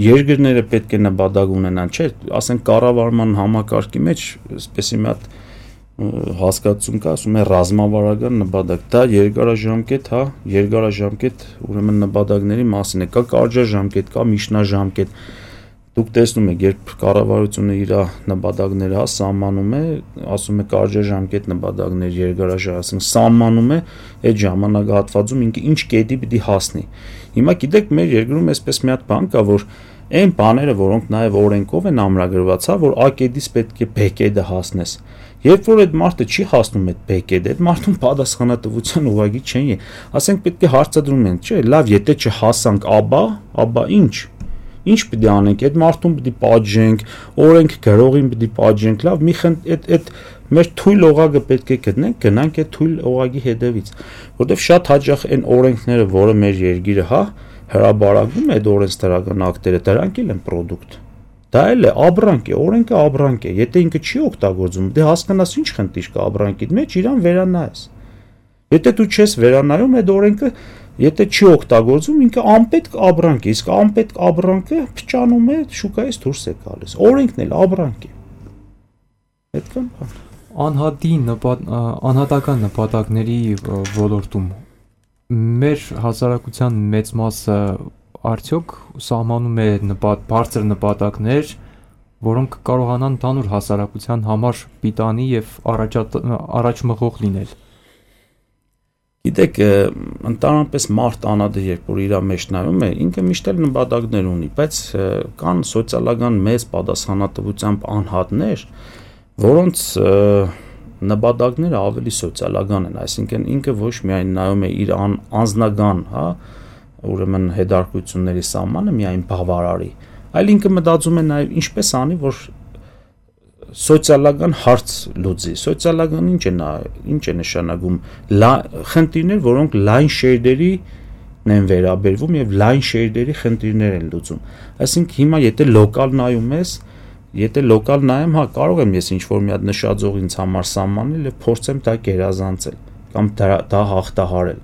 Երկրները պետք է նպատակ ունենան, չէ՞, ասենք կառավարման համակարգի մեջ, այսպես մի հատ հասկացություն կա, ասում է ռազմավարական նպատակ։ Դա երկարաժամկետ, հա, երկարաժամկետ, ուրեմն նպատակների մասին է, կա կարճաժամկետ, կա միջնաժամկետ։ Դուք տեսնում եք, երբ կառավարությունը իր նպատակները հա սահմանում է, ասում է կարճաժամկետ նպատակներ, երկարաժամկետ, սահմանում է այդ ժամանակահատվածում ինքը ինչ կետի պիտի հասնի։ Հիմա գիտեք, մեր երկրում այսպես մի հատ բան կա, որ այն բաները, որոնք նաև օրենքով են ամրագրված, հա, որ A կետից պետք է B կետը հասնես։ Երբ որ այդ մարդը չի հասնում այդ B կետը, այդ մարդուն պատասխանատվության ուղղակի չեն։ Ասենք պետք է հարցադրում են, չէ՞, լավ, եթե չհասանք ապա ինչ։ Ինչ պիտի անենք, այդ մարդուն պիտի պատժենք, օրենք գրողին պիտի պատժենք, լավ, այդ մեր թույլ օղակը պետք է գտնենք, գնանք այդ թույլ օղակի հետևից, որտեվ շատ հաճախ այն օրենքները, որը մեր երկիրը, հա, հրաբարակում է այդ օրենսդրական ակտերը, դրանք էլ են պրոդուկտ։ Դա էլ է ապրանք է, օրենքը ապրանք է, եթե ինքը չի օգտագործում, դե հասկանաս ինչ խնդիր կա ապրանքիդ մեջ, իրան վերանայես։ Եթե դու չես վերանայում այդ օրենքը, եթե չի օգտագործում, ինքը անպետք ապրանք է, իսկ անպետք ապրանքը փչանում է, շուկայից դուրս է գալիս։ Օրենքն էլ ապրանք է։ Այդքան բան։ Անհատական նպատակների ոլորտում մեր հասարակության մեծ մասը արդյոք սահմանում է բարձր նպատակներ, որոնք կարողանան ընդհանուր հասարակության համար պիտանի եւ առաջմղող լինել։ Գիտեք, ընդհանրապես մարդ անադը երբ որ իր մեջ նայում է, ինքը միշտ էլ նպատակներ ունի, բայց կան սոցիալական մեծ պատասխանատվությամբ անհատներ, որոնց նպատակները ավելի սոցիալական են, այսինքն ինքը ոչ միայն նայում է իր անձնական, հա, ուրեմն հետարկությունների սահմանը միայն բավարարի, այլ ինքը մտածում է նաև ինչպես անի, որ սոցիալական հարց լուծի։ Սոցիալական ինչ է նշանակում խնդիրներ, որոնք լայն շերտերին են վերաբերվում եւ լայն շերտերի խնդիրներ են լուծում։ Այսինքն հիմա եթե լոկալ նայում ես, եթե լոկալ նայեմ, հա, կարող եմ ես ինչ-որ մի հատ նշաձող ինձ համար սահմանել եւ փորձեմ դա գերազանցել կամ դա հաղթահարել։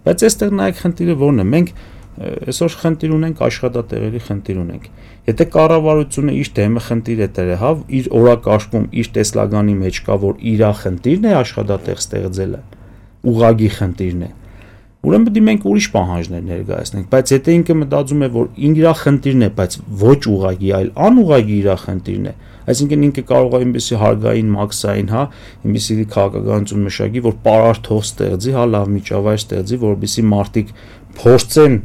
Բայց այստեղ նայեք խնդիրը ո՞րն է։ Մենք այսօր խնդիր ունենք, աշխատատեղերի խնդիր ունենք։ Եթե կառավարությունը իր դեմը խնդիր է դրել, հա, իր օրակարգում, իր տեսլականի մեջ կա, որ իր խնդիրն է աշխատատեղ ստեղծելը, ուղղակի խնդիրն է, ուրեմն պետք է մենք ուրիշ պահանջներ ներկայացնենք, բայց եթե ինքը մտածում է, որ իր խնդիրն է, բայց ոչ ուղղակի, այլ անուղղակի իր խնդիրն է, այսինքն ինքը կարող է այնպեսի հարգային մաքսային, հա, այնպեսի քաղաքականություն մշակի, որ պարարթող ստեղծի, հա, լավ միջավայր ստեղծի, որովհետեւ մարդիկ փորձեն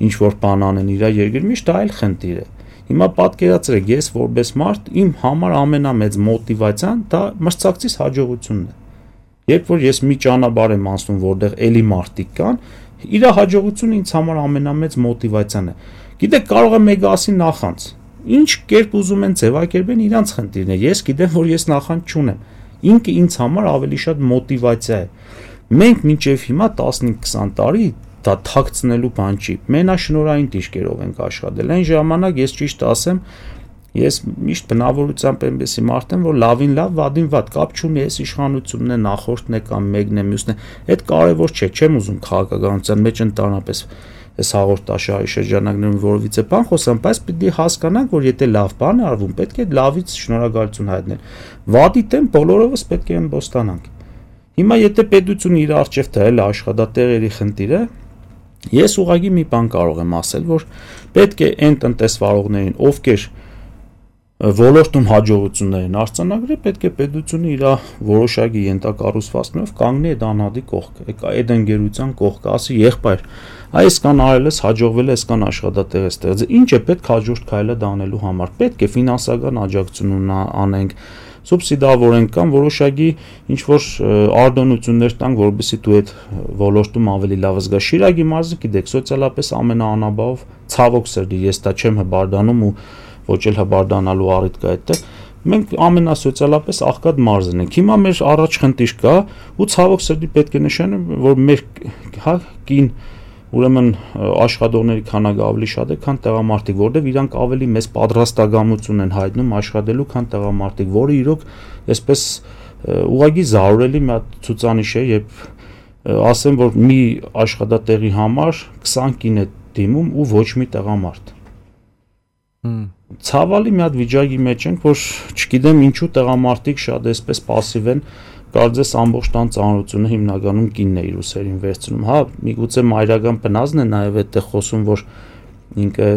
ինչ որ բան անեն իր երկրի մեջ, դա այլ խնդիր է։ Հիմա պատկերացրեք, ես որպես մարդ իմ համար ամենամեծ մոտիվացիան դա մրցակցիս հաջողությունն է։ Երբ որ ես մի ճանապարհ եմ անցնում, որտեղ էլի մարդիկ կան, իր հաջողությունը ինձ համար ամենամեծ մոտիվացիան է։ Գիտեք, կարող է մեկը ասի նախանց։ Ինչ կերպ ուզում են ձևակերպեն իրանց խնդիրն է։ Ես գիտեմ, որ ես նախանց չունեմ։ Ինքը ինձ համար ավելի շատ մոտիվացիա է։ Մենք մինչև հիմա 15-20 տարի դա թաքցնելու բան չի։ Մենաշնորհային դիրքերով ենք աշխատել։ Այն ժամանակ ես ճիշտ ասեմ, ես միշտ բնավորությամբ այնպեսի մարդ եմ, որ լավին լավ, վատին վատ, կապ չունի, ես իշխանությունն է, նախորդն է կամ մեկն է, մյուսն է։ Այդ կարևոր չէ, չեմ ուզում քաղաքականության մեջ ընդհանրապես այս հաղորդաշարի շրջանակներում որովիցե բան խոսամ, բայց պիտի հասկանանք, որ եթե լավ բան է արվում, պետք է լավից շնորհակալություն հայտնել։ Վատի դեմ բոլորովս պետք է ըմբոստանանք։ Հիմա եթե պետությունը իր առջև դրել է աշխատատեղերի խնդիրը, ես ուղղակի մի բան կարող եմ ասել, որ պետք է այն տնտեսվարողներին, ովքեր ոլորտում հաջողություններ են արձանագրել, պետք է պետությունը իր որոշակի ենթակառուցվածքներով կանգնի այդ անհատի կողքը, այդ ընկերության կողքը, ասի եղբայր, այսքան արել ես, հաջողվել է, այսքան աշխատատեղ ես ստեղծել, ինչ է պետք հաջորդ քայլը դանելու համար, պետք է ֆինանսական աջակցություն անենք, սուբսիդավորենք կամ որոշակի ինչ-որ արտոնություններ տանք, որովհետեւ դու այդ ոլորտում ավելի լավ զգաս։ Շիրակի մարզը գիտեք, սոցիալապես ամենաանաբավ ցավոք սրտի, ես դա չեմ հբարդանում ու ոչ էլ հբարդանալու առիթ կա այդտեղ։ Մենք ամենասոցիալապես աղքատ մարզն ենք։ Հիմա մեր առաջ խնդիր կա ու ցավոք սրտի պետք է նշեմ, որ մեր կին ուրեմն աշխատողների քանակը ավելի շատ է, քան տեղամարտիկ, որտեղ իրանք ավելի մեծ պատրաստակամություն են հայտնում աշխատելու, քան տեղամարտիկ, որը իրոք այսպես ուղղակի զարուրելի մի հատ ցուցանիշ է, երբ ասեմ, որ մի աշխատատեղի համար 20 կին է դիմում ու ոչ մի տեղամարդ։ Ցավալի մի հատ վիճակի մեջ ենք, որ չգիտեմ ինչու տեղամարտիկ շատ այսպես пассив են, կարծես ամբողջ տան ծանրությունը հիմնականում կինն է իր ուսերին վերցնում։ Հա, միգուցե մայրական բնազն է նաև այդտեղ խոսում, որ ինքը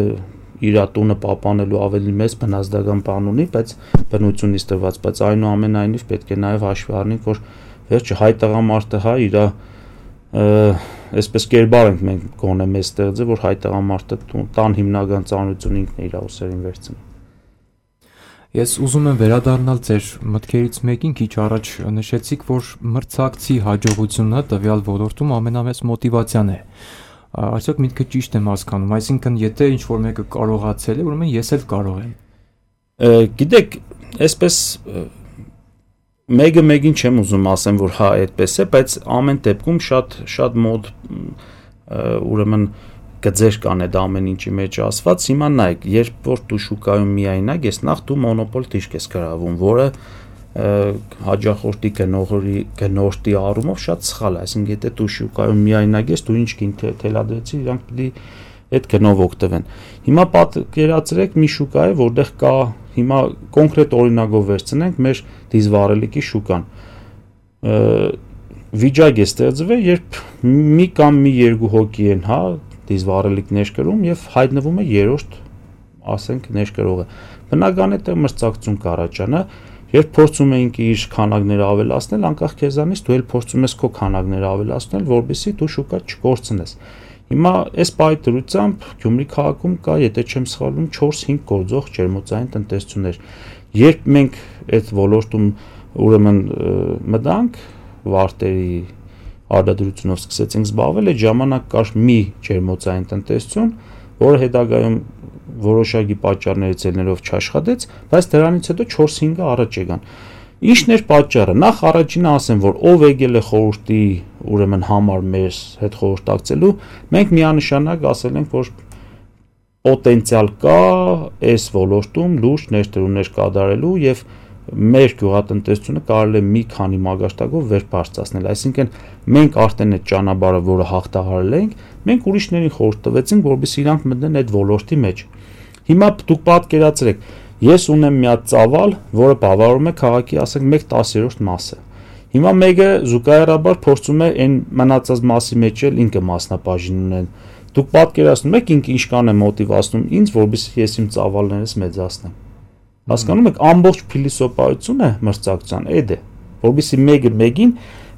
իր տունը պահպանելու ավելի մեծ բնազդական բան ունի, բայց բնությունից տված, բայց այնուամենայնիվ պետք է նաև հաշվի առնենք, որ վերջը հայ տղամարդը հա իր այսպես կերպար ենք մենք գոնե մեծ ստեղծել, որ հայ տղամարդը տան հիմնական ծանրությունը ինքն է իր ուսերին վերցնում։ Ես ուզում եմ վերադառնալ ձեր մտքերից մեկին, քիչ առաջ նշեցիք, որ մրցակցի հաջողությունը տվյալ ոլորտում ամենամեծ մոտիվացիան է։ Այսօք միտքը ճիշտ եմ հասկանում, այսինքն եթե ինչ-որ մեկը կարողացել է, ուրեմն ես էլ կարող եմ։ Գիտեք, այսպես մեկը մեկին չեմ ուզում ասեմ, որ հա այդպես է, բայց ամեն դեպքում շատ մոտ ուրեմն գծեր կան այդ ամեն ինչի մեջ ասված, հիմա նայեք, երբ որ դու շուկայում միայնակ ես, նախ դու մոնոպոլ դիրք ես գրավում, որը հաջախորդի գնորդի առումով շատ սխալ է, այսինքն եթե դու շուկայում միայնակ ես, դու ինչ կին թելադրեցի, իրանք պիտի այդ գնով օգտվեն։ Հիմա պատկերացրեք մի շուկա է, որտեղ կա, հիմա կոնկրետ օրինակով վերցնենք մեր դիզվառելիքի շուկան։ Վիճակ է ստեղծվել, երբ մի կամ մի երկու հոգի են, հա, դիզվառելիք ներկրում եւ հայտնվում է երրորդ, ասենք, ներկրողը։ Բնական է թե մրցակցություն կառաջանա, երբ փորձում ենք իր քանակները ավելացնել, անկախ քեզանից դու էլ փորձում ես քո քանակները ավելացնել, որովհետեւ դու շուկա չկորցնես։ Հիմա այս պահի դրությամբ Գյումրի քաղաքում կա, եթե չեմ սխալվում, 4-5 գործող ջերմոցային տնտեսություններ։ Երբ մենք այդ ոլորտում ուրեմն մտանք վարտերի արտադրությունով սկսեցինք զբաղվել, այդ ժամանակ կար մի ջերմոցային տնտեսություն, որը հետագայում որոշակի պատճառներից ելնելով չաշխատեց, բայց դրանից հետո 4-5-ը առաջ եկան։ Ինչն էր պատճառը։ Նախ առաջինը ասեմ, որ ով եկել է խորհրդի ուրեմն համար մեր հետ խորհրդակցելու, մենք միանշանակ ասել ենք, որ պոտենցիալ կա այս ոլորտում լուրջ ներդրումներ կատարելու եւ մեր գյուղատնտեսությունը կարելի է մի քանի մագարտակով վեր բարձրացնել, այսինքն մենք արդեն այդ ճանապարհը, որը հաղթահարել ենք, մենք ուրիշներին խորհուրդ տվեցինք, որովհետեւ իրանք մտնեն այդ ոլորտի մեջ։ Հիմա դուք պատկերացրեք, ես ունեմ մի հատ ծավալ, որը բավարարում է քաղաքի, ասենք, 1/10 մասը։ Հիմա մեկը զուգահեռաբար փորձում է այն մնացած մասի մեջ էլ ինքը մասնաբաժին ունեն։ Դուք պատկերացնում եք ինքը ինչքան է մոտիվացնում ինձ, որովհետեւ ես իմ ծավալներս մեծացնեմ։ Հասկանում եք, ամբողջ փիլիսոփայությունը մրցակցության այդ է, որովհետեւ մեկը մեկին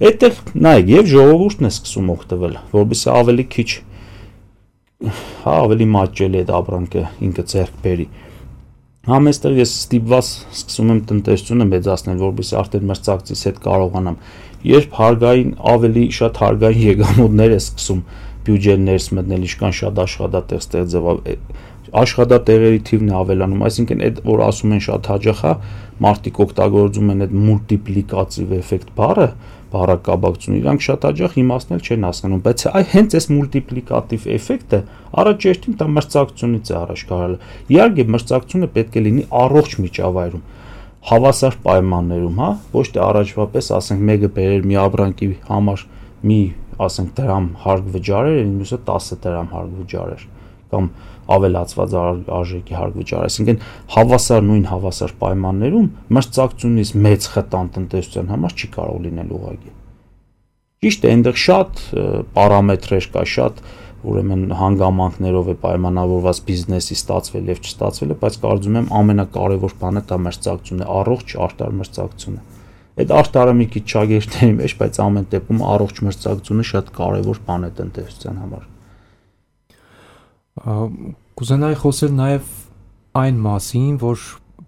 այդտեղ նայեք եւ ժողովուրդն է սկսում օգտվել, որովհետեւ ավելի քիչ հա ավելի մատչելի է այդ ապրանքը ինքը ձեռք բերի։ Համեստեղ ես ստիպված սկսում եմ տնտեսությունը մեծացնել, որովհետեւ արդեն մրցակցից հետ կարողանամ, երբ հարգային ավելի շատ հարգային եկամուտներ է սկսում բյուջեն ներս մտնել, ինչքան շատ աշխատատեղ ստեղծել, աշխատատեղերի թիվն է ավելանում, այսինքն այդ որ ասում են շատ հաճախ է, մարդիկ օգտագործում են այդ մուլտիպլիկատիվ էֆեկտ բառը, բառակաբակցություն, իրանք շատ հաճախ իմացնել չեն հասկանում, բայց հենց այս մուլտիպլիկատիվ էֆեկտը առաջերտին դա մրցակցությունից է առաջ գալու։ Իհարկե մրցակցությունը պետք է լինի առողջ միջավայրում, հավասար պայմաններում, հա, ոչ թե առաջվա պես ասենք մեկը բերեր մի ապրանքի համար մի ասենք դրամ հարկ վճարեր, մյուսը 10 դրամ հարկ վճարեր կամ ավելացված արժեքի հարկ վճարեր, այսինքն նույն հավասար պայմաններում մրցակցությունից մեծ խտան տնտեսության համար չի կարող լինել ուղղակի։ Ճիշտ է, այնտեղ շատ պարամետրեր կա, շատ ուրեմն հանգամանքներով է պայմանավորված բիզնեսի ստացվել եւ չստացվելը, բայց կարծում եմ ամենակարևոր բանը դա մրցակցությունն է, առողջ արտար մրցակցությունը։ Այդ արտարը մի քիչ ճագերտների մեջ, բայց ամեն դեպքում առողջ մրցակցությունը շատ կարևոր բան է տնտեսության համար։ Կուզենայի խոսել նաև այն մասին, որ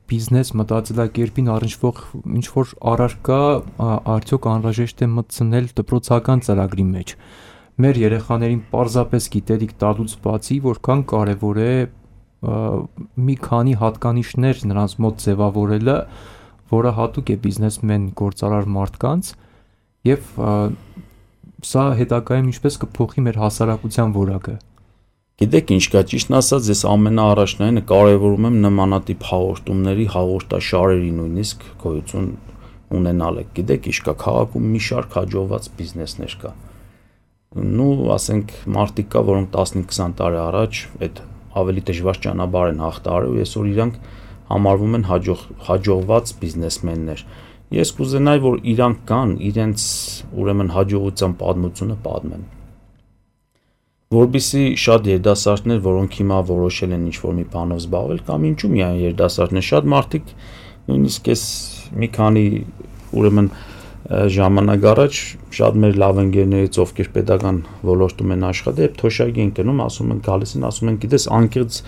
բիզնես մտածելակերպին առնչվող ինչ-որ առարկա արդյոք անհրաժեշտ է մտցնել դպրոցական ծրագրի մեջ։ Մեր երեխաներին պարզապես գիտելիք տալուց բացի, որքան կարևոր է մի քանի հատկանիշներ նրանց մոտ ձևավորելը, որը հատուկ է բիզնեսմեն գործարար մարդկանց, եւ սա հետագայում ինչպես կփոխի մեր հասարակության որակը։ Գիտեք ինչ կա, ճիշտն ասած, ես ամենաառաջնայինը կարևորում եմ նմանատիպ հաղորդումների հաղորդաշարերի նույնիսկ գոյություն ունենալը։ Գիտեք ինչ կա, քաղաքում մի շարք հաջողված բիզնեսներ կա։ Ասենք մարդիկ կա, որոնք 15-20 տարի առաջ այդ ավելի դժվար ճանապարհ են հաղթահարել ու այսօր իրանք համարվում են հաջողված բիզնեսմեններ։ Ես կուզենայի, որ իրանք կան, իրենց ուրեմն հաջողության պատմությունը պատմեն։ Որբիսի շատ երիտասարդներ, որոնք հիմա որոշել են ինչ-որ մի բանով զբաղվել, կամ ինչու միայն երիտասարդներ, շատ մարդիկ նույնիսկ էս մի քանի ուրեմն ժամանակ առաջ շատ մեր լավ ընկերներից, ովքեր պետական ոլորտում են աշխատել, եւ թոշակի են գնում, ասում են գալիս են, ասում են, գիտես, անկեղծ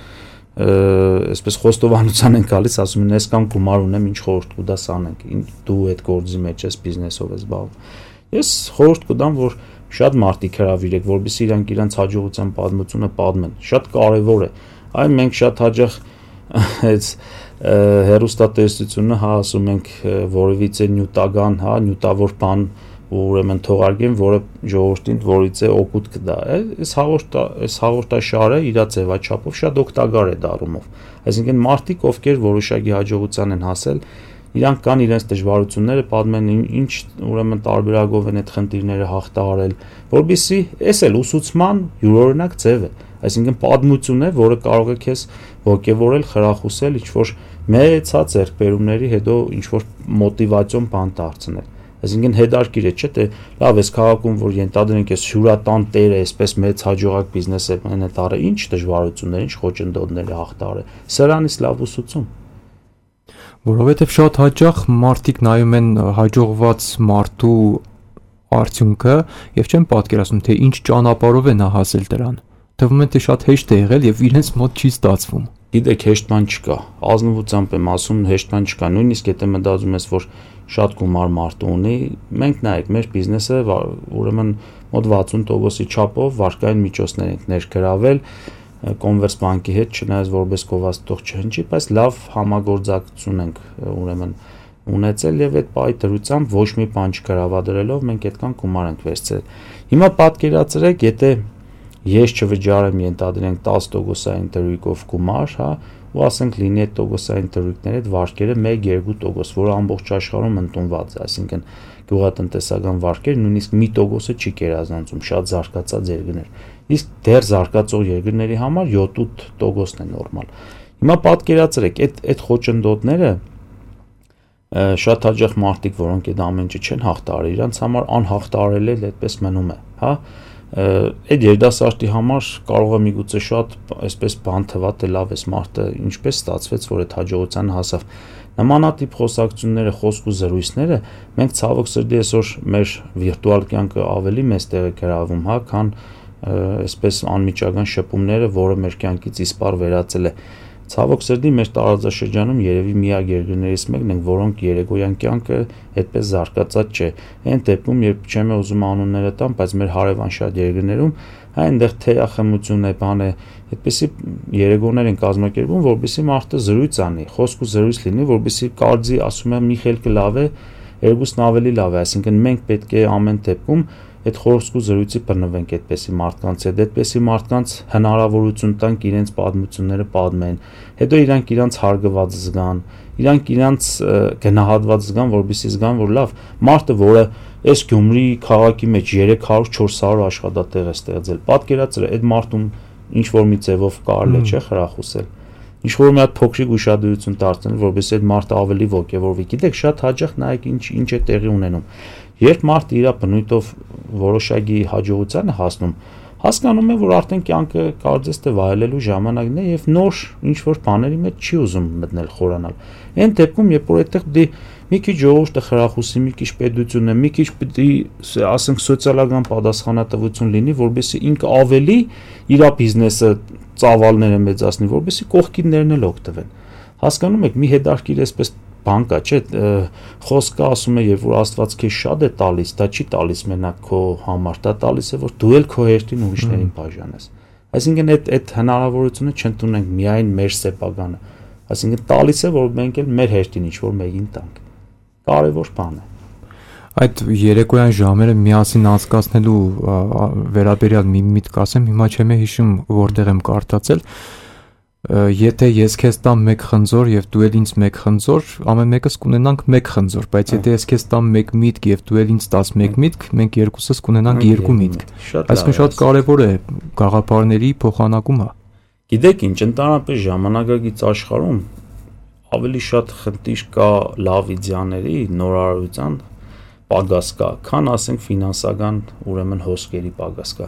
այսպես խոստովանության են գալիս, ասում են, այսքան գումար ունեմ, ինչ խորհուրդ կուտաս անենք, դու այդ գործի մեջ ես, բիզնեսով ես զբաղվում։ Ես խորհուրդ կտամ, որ շատ մարդիկ հրավիրեք, որովհետեւ իրանք իրենց հաջողության պատմությունը պատմեն։ Շատ կարևոր է։ Այն մենք շատ հաճախ այս հերոստատեսությունը, հա, ասում ենք որևիցե նյութական, հա, նյութավոր բան ուրեմն թողարկեն, որը ժողովրդին որից է օգուտ կտա։ Այս հաղորդաշարը իր ձևաչափով շատ օգտակար է դառնումով։ Այսինքն մարդիկ, ովքեր որոշակի հաջողության են հասել, իրանք կան իրենց դժվարությունները, պատմեն ինչ ուրեմն տարբերակով են այդ խնդիրները հաղթահարել, որբիսի էս էլ ուսուցման յուրօրինակ ձև է, այսինքն պատմություն է, որը կարող է քեզ ոգևորել, խրախուսել, ինչ-որ մեծած ձեռքբերումների հետո ինչ-որ մոտիվացիոն բան դարձնել։ Այսինքն հետարքիր է, չէ՞ թե լավ էս քաղաքում, որ ենթադրենք էս հյուրատան տերը, այսպես մեծ հաջողակ բիզնես է մենետարը, ինչ դժվարություններ, ինչ խոչընդոտներ է հաղթահարել։ Սրանից լավ ուսուցում։ Որովհետև շատ հաճախ մարդիկ նայում են հաջողված մարդու արդյունքը եւ չեն պատկերացնում, թե ինչ ճանապարհով է նա հասել դրան։ Թվում է թե շատ հեշտ է եղել եւ իրենց մոտ չի ստացվում։ Գիտեք, հեշտ բան չկա։ Ազնվությամբ եմ ասում, հեշտ բան չկա։ Նույնիսկ եթե մտածում ես, որ շատ գումար մարդ ունի, մենք նայեք, մեր բիզնեսը ուրեմն մոտ 60%-ի չափով վարկային միջոցներ ենք ներգրավել Converse բանկի հետ, չնայած որպես գովազդող չհնչի, բայց լավ համագործակցություն ենք ուրեմն ունեցել եւ այդ պահի դրությամբ ոչ մի բան չգրավադրելով մենք այդքան գումար ենք վերցրել։ Հիմա պատկերացրեք, եթե ես չվճարեմ ենթադրենք 10%-ային դրույքով գումար, հա, ու ասենք լինի այդ տոկոսային դրույքների այդ վարկերը 1-2%, որը ամբողջ աշխարհում ընդունված է, այսինքն գյուղատնտեսական վարկեր նույնիսկ 1%-ը չի կերազանցում, շատ զարգացած երկրներ։ Իսկ դեռ զարգացող երկրների համար 7-8%-ն է նորմալ։ Հիմա պատկերացրեք, այդ խոչընդոտները շատ հաճախ մարդիկ, որոնք այդ ամեն ինչը չեն հաղթահարել, իրանց համար անհաղթահարելի էլ այդպես մնում է, հա։ Այդ երիտասարդի համար կարող է միգուցե շատ այսպես բան թվա, թե լավ էս մարդը ինչպես ստացվեց, որ այդ հաջողության հասավ։ Նմանատիպ խոսակցությունները, խոսք ու զրույցները մենք ցավոք սրտի այսօր մեր վիրտուալ կյանքը ավելի մեծ տեղ է գրավում, հա, քան այսպես անմիջական շփումները, որը մեր կյանքից իսպառ վերածել է Ցավոք սրտի մեր տարածաշրջանում երևի միակ երկրներից մեկն ենք, որոնք երեկոյան կյանքը այդպես զարգացած չէ։ Այն դեպքում, երբ չեմ ուզում անունները տամ, բայց մեր հարևան շատ երկրներում այնտեղ թեյախմություն է, բան է, այդպեսի երեկոներ են կազմակերպում, որովհետեւ մարդը զրույց անի, խոսք ու զրույց լինի, որովհետեւ կարծի, ասում եմ, մի խելքը լավ է, երկուսն ավելի լավ է, այսինքն մենք պետք է ամեն դեպքում այդ խոսք ու զրույցի բռնվենք այդպեսի մարդկանց հետ, այդպեսի մարդկանց հնարավորություն տանք իրենց պատմությունները պատմեն, հետո իրանք հարգված զգան, իրանք գնահատված զգան, որովհետեւ զգան, որ լավ, մարդը, որը այս Գյումրի քաղաքի մեջ 300-400 աշխատատեղ է ստեղծել, պատկերացրու, այդ մարդուն ինչ որ մի ձևով կարելի է չէ խրախուսել, ինչ որ մի հատ փոքրիկ ուշադրություն դարձնել, որովհետեւ այդ մարդը ավելի ոգևորվի, գիտեք, շատ հաճախ նայեք ինչ է տեղի ունենում, երբ մարդը իր բնույթով որոշակի հաջողության է հասնում, հասկանում է, որ արդեն կյանքը կարծես թե վայելելու ժամանակն է եւ նոր ինչ որ բաների մեջ չի ուզում մտնել խորանալ։ Այն դեպքում, երբ որ այդտեղ դի մի քիչ ժողովուրդը խրախուսի, մի քիչ պետությունը, մի քիչ պիտի ասենք սոցիալական պատասխանատվություն լինի, որովհետեւ ինքը ավելի իր բիզնեսը ծավալները մեծացնի, որովհետեւ կողքիններն էլ օգտվեն։ Հասկանում եք, մի հետարքիր այսպես բան կա, չէ, խոսքը ասում է, երբ որ Աստված քեզ շատ է տալիս, դա չի տալիս մենակ քո համար, դա տալիս է, որ դու էլ քո հերթին ուրիշներին բաժանես։ Այսինքն այդ հնարավորությունը չընդունենք միայն մեր սեփականը, այսինքն տալիս է, որ մենք էլ մեր հերթին ինչ-որ մեկին տանք։ Կարևոր բան է։ Այդ երեկոյան ժամերը միասին անցկացնելու վերաբերյալ մի միտք ասեմ, հիմա չեմ հիշում որտեղ եմ կարդացել, եթե ես քեզ տամ 1 խնձոր եւ դու էլ ինձ 1 խնձոր, ամեն մեկս կունենանք 1 խնձոր, բայց եթե ես քեզ տամ 1 միտք եւ դու էլ ինձ տաս 1 միտք, մենք երկուսս կունենանք 2 միտք։ Այսինքն շատ կարեւոր է գաղափարների փոխանակումը։ Գիտեք ինչ, ընդհանրապես ժամանակակից աշխարհում ավելի շատ խնդիր կա լավ իդեաների, նորարարության պակաս կա, քան ասենք ֆինանսական, ուրեմն հոսքերի պակաս կա։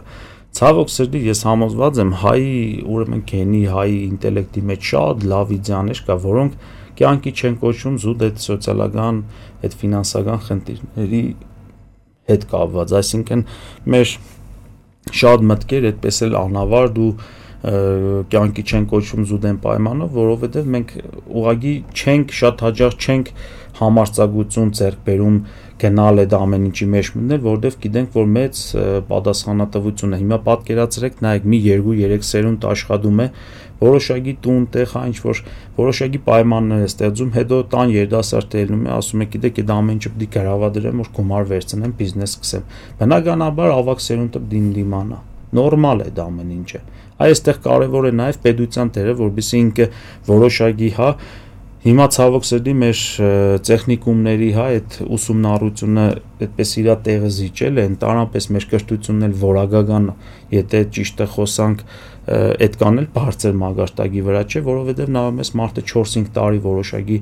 Ցավոք սրտի ես համոզված եմ հայի, ուրեմն գենի, հայի ինտելեկտի մեջ շատ լավ իդեաներ կա, որոնք կյանքի չեն կոչվում զուտ այդ սոցիալական, այդ ֆինանսական խնդիրների հետ կապված, այսինքն մեր շատ մտքեր այդպես էլ անավարտ ու կյանքի չեն կոչվում զուտ այն պայմանով, որովհետև մենք ուղղակի չենք, շատ հաճախ չենք համարձակություն ձեռք բերում գնալ այդ ամեն ինչի մեջ մտնել, որովհետև գիտենք, որ մեծ պատասխանատվություն է։ Հիմա պատկերացրեք, նայեք, մի 2-3 սերունդ աշխատում է, որոշակի տուն, տեղ, ինչ որ որոշակի պայմաններ է ստեղծում, հետո տան երիտասարդը ելնում է, ասում է, գիտեք, այդ ամեն ինչը պիտի գրավադրեմ, որ գումար վերցնեմ, բիզնես սկսեմ։ Բնականաբար ավակ սերունդը դիմանա։ Նորմալ է դա ամեն ինչը։ Այստեղ կարևոր է նաև պետության դերը, որովհետեւ ինքը որոշակի, հա, հիմա ցավոք սրտի մեր տեխնիկումների, հա, այդ ուսումնառությունը այդպես իր տեղը զիջել է, ընդհանրապես մեր կրթությունն էլ որակական, եթե ճիշտը խոսանք, այդքան էլ բարձր մագարտակի վրա չէ, որովհետև նավամես մարդը 4-5 տարի որոշակի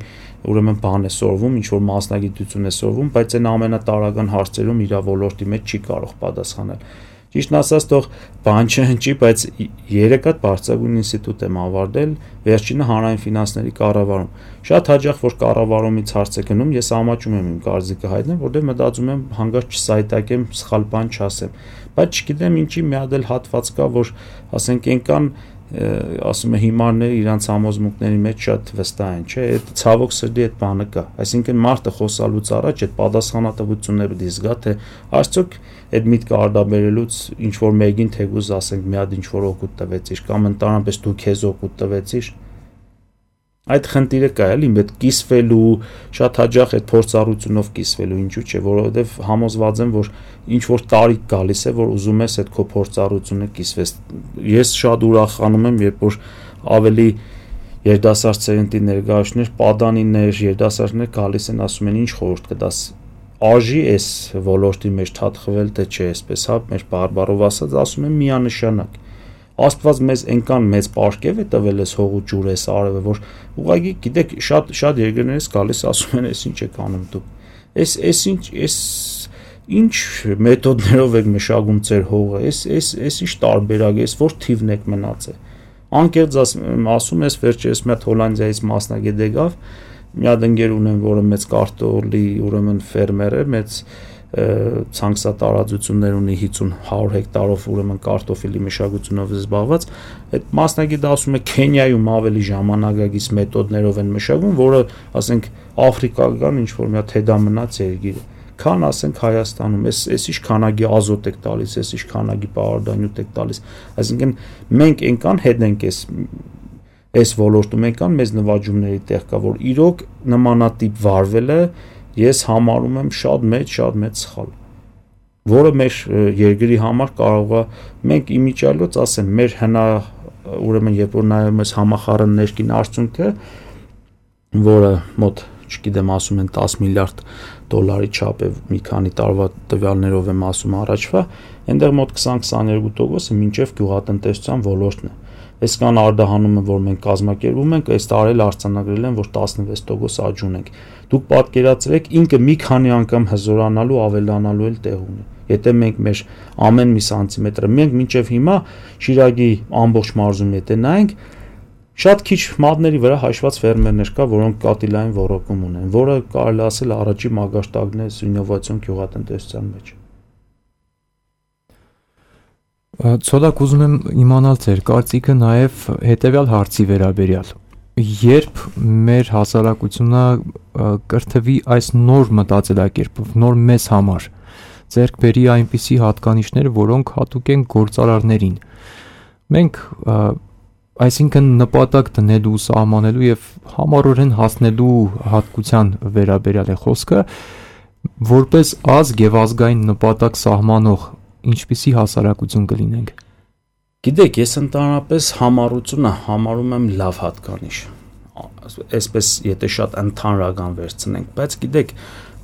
ուրեմն բան է սորվում, ինչ որ մասնագիտություն է սորվում, բայց այն ամենատարրական հարցերում իր ոլորտի մեջ չի կարող պատասխանել։ Ճիշտն ասած, թող բան չհնչի, բայց 3 հատ բարձրագույն ինստիտուտ եմ ավարտել, վերջինը հանրային ֆինանսների կառավարում։ Շատ հաճախ որ կառավարումից հարց է գնում, ես ամաչում եմ իմ կարծիքը հայտնեմ, որտեղ մտածում եմ հանկարծ չսայտակեմ, սխալ բան չասեմ։ Բայց չգիտեմ ինչի մի հատ էլ հատված կա, որ ասենք այնքան ասում է հիմարները իրանց համոզմունքների մեջ շատ վստահ են, չէ՞, այդ ցավոք սրտի այդ բանը կա։ Այսինքն մարդը խոսալուց առաջ այդ պատասխանատվությունը պետք է զգա, թե արդյոք այդ միտքը արդաբերելուց ինչ որ մեկին թեկուզ ասենք մի հատ ինչ որ օգուտ տվեցիր կամ ընդհանրապես դու քեզ օգուտ տվեցիր։ Այդ խնդիրը կա էլի, այդ կիսվելու, շատ հաճախ այդ փորձառությունով կիսվելու, ինչու՞ չէ, որովհետև համոզված եմ, որ ինչ որ տարիք գալիս է, որ ուզում ես այդ քո փորձառությունը կիսվես։ Ես շատ ուրախանում եմ, երբ որ ավելի երիտասարդ սերնդի ներկայացուցիչներ, պատանիներ, երիտասարդներ գալիս են, ասում են, ինչ խորհուրդ կտաս։ Արժի այս ոլորտի մեջ թափվել, թե չէ, այսպես, հա, մեր բարբառով ասած, ասում են միանշանակ։ Աստված մեզ այնքան մեծ պարգև է տվել էս հող ու ջուր էս արևը, որ ուղղակի գիտեք շատ երկրներից գալիս ասում են, էս ինչ եք անում դուք։ Էս ինչ մեթոդներով եք մշակում ձեր հողը, էս ինչ տարբերակ է, էս որ թիվն եք մնացել։ Անկեղծ ասում ես վերջերս մի հատ Հոլանդիայից մասնագետ եկավ, մի հատ ընկեր ունեմ, որը մեծ կարտոֆիլի ուրեմն ֆերմեր է, մեծ ցանքսատարածություններ ունի 50-100 հեկտարով ուրեմն կարտոֆիլի մշակությունով զբաղված, այդ մասնագետը ասում է Քենիայում ավելի ժամանակակից մեթոդներով են մշակվում, որը ասենք Աֆրիկական ինչ որ մի հատ հետամնաց երկիր է, քան ասենք Հայաստանում, այս ինչ քանակի ազոտ եք տալիս, այս ինչ քանակի պարարտանյութ եք տալիս, այսինքն մենք այնքան հետ ենք այս ոլորտում, այնքան մեզ նվաճումների տեղ կա, որ իրոք նմանատիպ վարվելը ես համարում եմ շատ մեծ սխալ, որը մեր երկրի համար կարող է մենք իմիջիալոց ասեմ մեր ուրեմն երբ որ նայում ես համախառն ներքին արդյունքը, որը մոտ չգիտեմ ասում են 10 միլիարդ դոլարի չափ է մի քանի տարվա տվյալներով եմ ասում առաջվա, այնտեղ մոտ 20-22% մինչև գյուղատնտեսության ոլորտն է։ Այսքան արդահանում եմ, որ մենք կազմակերպում ենք, այս տարի արձանագրել են, որ 16% աճ ունենք։ Դուք պատկերացրեք, ինքը մի քանի անգամ հզորանալու, ավելանալու էլ տեղ ունի։ Եթե մենք մեր ամեն մի սանտիմետրը, մենք մինչև հիմա Շիրակի ամբողջ մարզում եթե նայենք, շատ քիչ մատների վրա հաշված ֆերմերներ կա, որոնք կատիլային ոռոգում ունեն, որը կարելի ասել առաջի մագարտակն է ինովացիոն գյուղատնտեսության մեջ։ Ցոլակ ուզում եմ իմանալ ձեր կարծիքը նաև հետևյալ հարցի վերաբերյալ։ Երբ մեր հասարակությունը կրթվի այս նոր մտածելակերպով, նոր մեզ համար, ձեռք բերի այնպիսի հատկանիշներ, որոնք հատուկ են գործարարներին։ Մենք այսինքն նպատակ դնելու, սահմանելու եւ համառորեն հասնելու հատկության վերաբերյալ է խոսքը, որպես ազգ եւ ազգային նպատակ սահմանող ինչպիսի հասարակություն կլինենք։ Գիտեք, ես ընդհանրապես համառությունը համարում եմ լավ հատկանիշ։ Այսպես եթե շատ ընդհանրական վերցնենք, բայց գիտեք,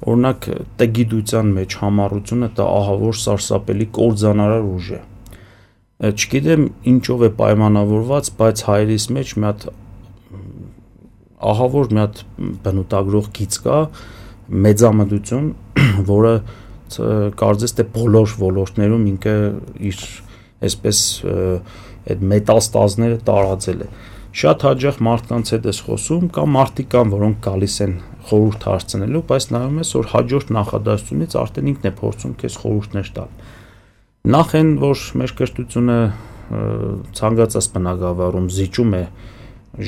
օրինակ տգիտության մեջ համառությունը դա ահավոր սարսափելի կործանարար ուժ է։ Չգիտեմ ինչով է պայմանավորված, բայց հայերիս մեջ մի հատ ահավոր մի հատ բնութագրող գիծ կա, մեծամտություն, որը կարծես թե բոլոր ոլորտներում ինքը իր այսպես այդ մետաստազները տարածել է։ Շատ հաճախ մարդկանց հետ ես խոսում, կամ մարդիկ կան, որոնք գալիս են խորհուրդ հարցնելու, բայց նայում ես, որ հաջորդ նախադասությունից արդեն ինքն է փորձում քեզ խորհուրդներ տալ։ Նախ են, որ մեր կրթությունը ցանկացած բնակավարում զիջում է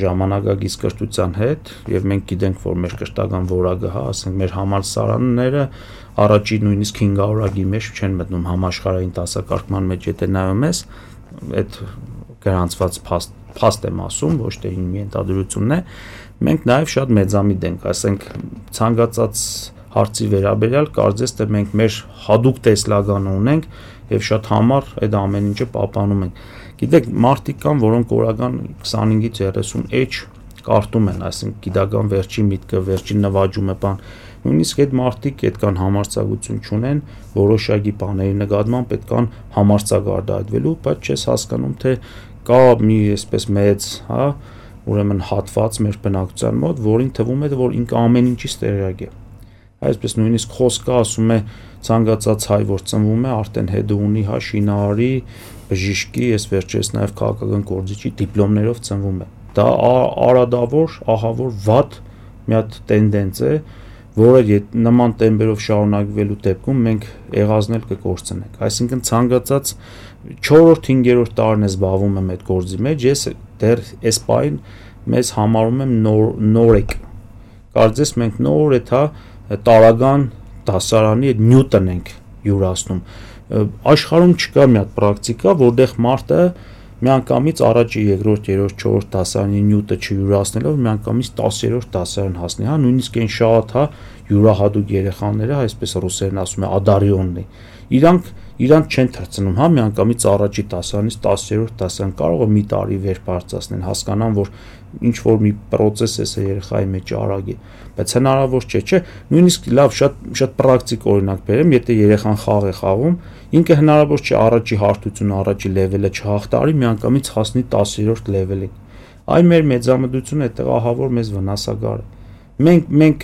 ժամանակակից կրթության հետ, եւ մենք գիտենք, որ մեր կրթական որակը, ասենք մեր համալսարանները առաջի նույնիսկ 500-ակի մեջ չեն մտնում համաշխարհային դասակարգման մեջ, եթե նայում ես, այդ գրանցված փաստ եմ ասում, ոչ թե մի ենթադրությունն է, մենք նաեւ շատ մեծամիտ ենք, ասենք ցանկացած հարցի վերաբերյալ կարծես թե մենք մեր հadoop տեսլականը ունենք եւ շատ համառ այդ ամեն ինչը պահպանում ենք։ Գիտեք, մարդիկ կան, որոնք օրական 25-ից 30 էջ կարդում են, այսինքն գիտական վերջի միտքը, վերջի նվաճումը բան։ Նույնիսկ այդ մարդիկ այդքան համարձակություն չունեն որոշակի բաների նկատմամբ այդքան համարձակ արտահայտվելու, բայց չես հասկանում, թե կա մի այսպես մեծ, ուրեմն հատված մեր բնակության մոտ, որին թվում է, որ ինքը ամեն ինչից տեղյակ է։ Այսպես նույնիսկ խոսքը ասում է ցանկացած հայ, որ ծնվում է, արդեն հետո ունի շինարարի, բժիշկի, ես վերջերս նաև քաղաքական գործիչի դիպլոմներով ծնվում է։ Դա արադավոր, ահավոր վատ մի հատ տենդենս է, որը նման տեմպերով շարունակվելու դեպքում մենք եղածնել կկորցնենք։ Այսինքն ցանկացած 4-5-րդ տարին է զբաղվում եմ այդ գործի մեջ, ես դեռ այս պայն մեզ համարում եմ նորեկ։ Կարծես մենք նոր տարական դասարանի այդ նյութն ենք յուրացնում։ Աշխարհում չկա մի հատ պրակտիկա, որտեղ մարդը միանգամից առաջի, երկրորդ, երրորդ, չորրորդ դասարանի նյութը չյուրացնելով միանգամից 10-րդ դասարան հասնի, նույնիսկ այն շատ յուրահատուկ երեխաները, այսպես ռուսերեն ասում է, ադարիոննի։ Իրանք չեն թռցնում, միանգամից առաջի դասարանից 10-րդ դասարան կարող է մի տարի վեր բարձրացնեն, հասկանան, որ ինչ որ մի process է երեխայի մեջ արագ է, բայց հնարավոր չէ, նույնիսկ լավ շատ պրակտիկ օրինակ բերեմ, եթե երեխան խաղ է խաղում, ինքը հնարավոր չէ առաջի հարթությունը, առաջի լեվելը չհաղթարի, միանգամից հասնի 10-րդ լեվելին։ Այ մեր մեծամտությունը այդտեղ ահավոր մեզ վնասակար է։ Մենք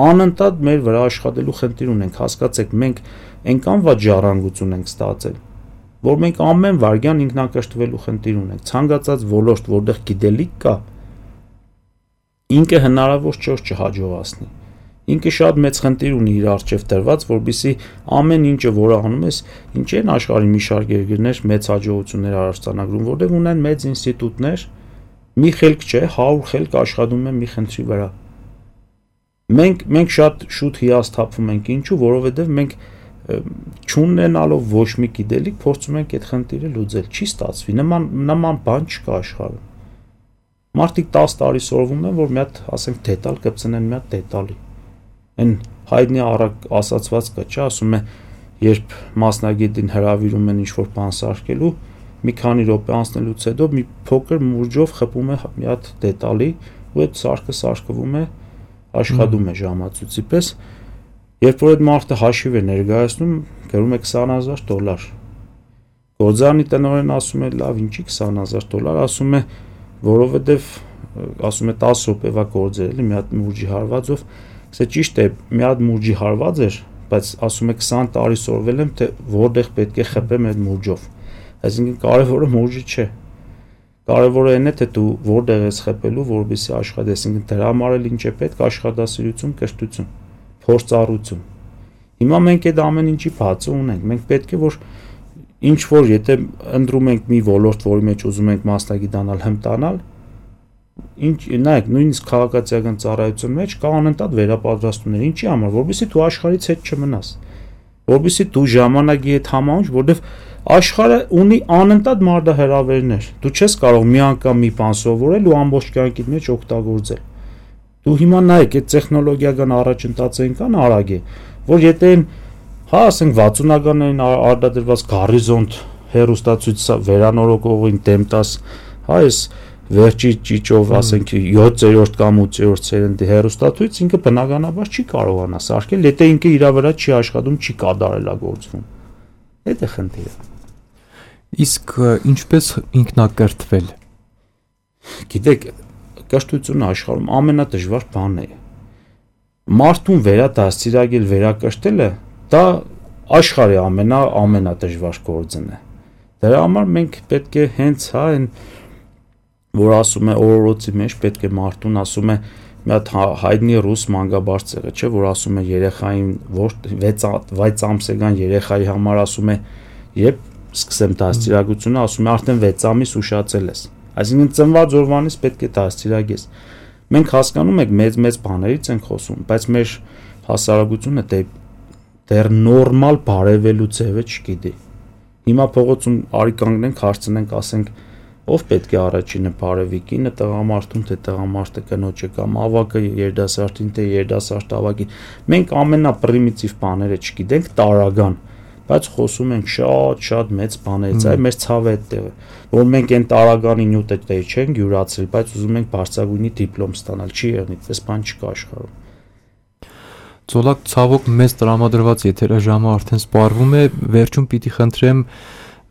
անընդհատ մեր վրա աշխատելու խնդիր ունենք, հասկացեք, մենք այնքան վատ ժառանգություն ենք ստացել, որ մենք ամեն վարքյան ինքնակրթվելու խնդիր ունենք, ցանկացած ոլորտ, որտեղ գիտելիք կա, ինքը հնարավոր չէ չհաջողացնի։ ինքը շատ մեծ խնդիր ունի իր առջև դրված, որբիսի ամեն ինչը, որը անում ես, ինչ են աշխարհի մի շարք երկրներ մեծ հաջողություններ արարծանագրում, որտեղ ունեն մեծ ինստիտուտներ, մի խելք չէ, 100 խելք աշխատում են մի խնդրի վրա։ Մենք շատ շուտ հիասթափվում ենք, ինչու, որովհետև մենք չունենալով ոչ մի գիտելիք փորձում ենք այդ խնդիրը լուծել, չի ստացվի, նման բան չկա աշխարհում։ Մարդիկ 10 տարի սովորում են, որ մի հատ, ասենք, դետալ կպցնեն մի հատ դետալի։ Այն հայտնի ասացված կա, չէ, ասում է, երբ մասնագետին հրավիրում են ինչ-որ բան սարքելու, մի քանի րոպե անցնելուց հետո մի փոքր մուրջով խփում է մի հատ դետալի, ու այդ սարքը սարքվում է, աշխատում է ժամացույցի պես։ Երբ որ այդ մարդը հաշիվ է ներկայացնում, գրում է $20,000։ Գործարանի տնօրենն ասում է, լավ, ինչի $20,000, ասում է, որովհետև ասում է 10 րոպեվա գործ էր, մի հատ մուրջի հարվածով, ասե ճիշտ է, մի հատ մուրջի հարված էր, բայց ասում է 20 տարի սովորել եմ, թե որտեղ պետք է խփեմ այդ մուրջով։ Այսինքն կարևորը մուրջը չէ։ Կարևորը այն է, թե դու որտեղ ես խփելու, որպեսզի աշխատես, այսինքն դրա համար էլ ինչ է պետք, աշխատասիրություն, կրթություն, փորձառություն։ Հիմա մենք այդ ամեն ինչի բացը ունենք։ Մենք պետք է որ ինչ որ եթե ընտրում ենք մի ոլորտ, որի մեջ ուզում ենք մասնագիտանալ, հմտանալ, ինչ նայեք, նույնիսկ քաղաքացիական ծառայության մեջ կա անընդհատ վերապատրաստումներ, ինչի համար, որովհետեւ դու աշխարհից հետ չմնաս, որովհետեւ դու ժամանակի հետ համահունչ, որովհետեւ աշխարհը ունի անընդհատ մարտահրավերներ, դու չես կարող մի անգամ մի բան սովորել ու ամբողջ կյանքիդ մեջ օգտագործել։ Դու հիմա նայեք, այդ տեխնոլոգիական առաջընթացը այնքան արագ է, որ եթե հա ասենք 60-ականներին արտադրված Գարիզոնտ հեռուստացույց վերանորոգողին դեմ տաս, հա այս վերջի ճիճով ասենք 7-րդ կամ 8-րդ սերնդի հեռուստացույց ինքը բնականաբար չի կարողանա սարքել, եթե ինքը իր վրա չի աշխատում, չի կատարելագործվում։ Դա է խնդիրը։ Իսկ ինչպես ինքնակրթվել։ Գիտեք, կրթությունը աշխարհում ամենադժվար բանն է։ Մարդուն վերադաստիարակել, վերակրթելը դա աշխարհի ամենադժվար գործն է։ Դրա համար մենք պետք է հենց հա այն որ ասում է օրորոցի մեջ պետք է մարդուն ասում է մի հատ հայտնի ռուս մանկաբարձեղը, չէ, որ ասում է երեխային, որ 6 ամսական երեխայի համար ասում է, երբ սկսեմ դաստիարակությունը, ասում է արդեն 6 ամիս ուշացել ես։ Այսինքն ծնված օրվանից պետք է դաստիարակես։ Մենք հասկանում ենք մեծ բաներից ենք խոսում, բայց մեր հասարակությունը դեռ նորմալ բարևելու ձևը չգիտի։ Հիմա փողոցում արի կանգնենք, հարցնենք, ասենք ով պետք է առաջինը բարևի, կինը տղամարդուն, թե տղամարդը կնոջը կամ ավակը երիտասարդին, թե երիտասարդը ավակին։ Մենք ամենապրիմիտիվ բաները չգիտենք, տարական, բայց խոսում ենք շատ մեծ բաներից, այ մեր ցավը այդտեղ է, որ մենք այն տարականի նյութը չենք յուրացրել, բայց ուզում ենք բարձրագույնի դիպլոմ ստանալ, չի եղնի, այդպես բան չկա աշխարհում։ Ծոլակ ցավոք մեծ տրամադրված եթերաժամը արդեն սպառվում է, վերջում պիտի խնդրեմ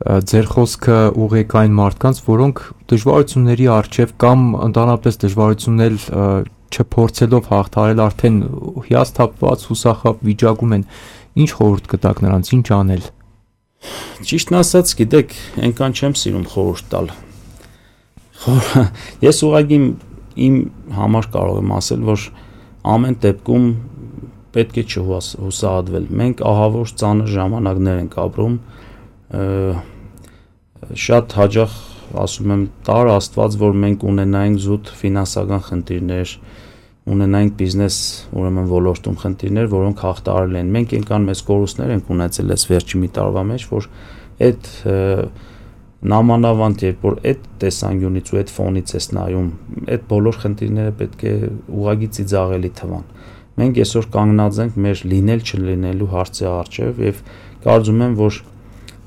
ձեր խոսքը ուղղեք այն մարդկանց, որոնք դժվարությունների առջև կամ ընդհանրապես դժվարություններ չփորձելով հաղթարել արդեն հիասթափված, հուսախաբ վիճակում են, ինչ խորհուրդ կտաք նրանց, ինչ անել։ Ճիշտն ասած, գիտեք, այնքան չեմ սիրում խորհուրդ տալ։ Ես ուղղակի իմ համար կարող եմ ասել, որ ամեն դեպքում պետք է չհուսահատվել։ Մենք ահավոր ծանր ժամանակներ ենք ապրում, շատ հաճախ ասում եմ տար Աստված, որ մենք ունենայինք զուտ ֆինանսական խնդիրներ, ունենայինք բիզնես, ուրեմն ոլորտում խնդիրներ, որոնք հաղթարել են։ Մենք այնքան մեծ կորուստներ ենք ունեցել այս վերջի մի տարվա մեջ, որ այդ նամանավանդ երբ որ այդ տեսանկյունից ու այդ ֆոնից ես նայում, այդ բոլոր խնդիրները պետք է ուղղակի ծիծաղելի թվան։ Մենք այսօր կանգնած ենք մեր լինել չլինելու հարցի առջև եւ կարծում եմ, որ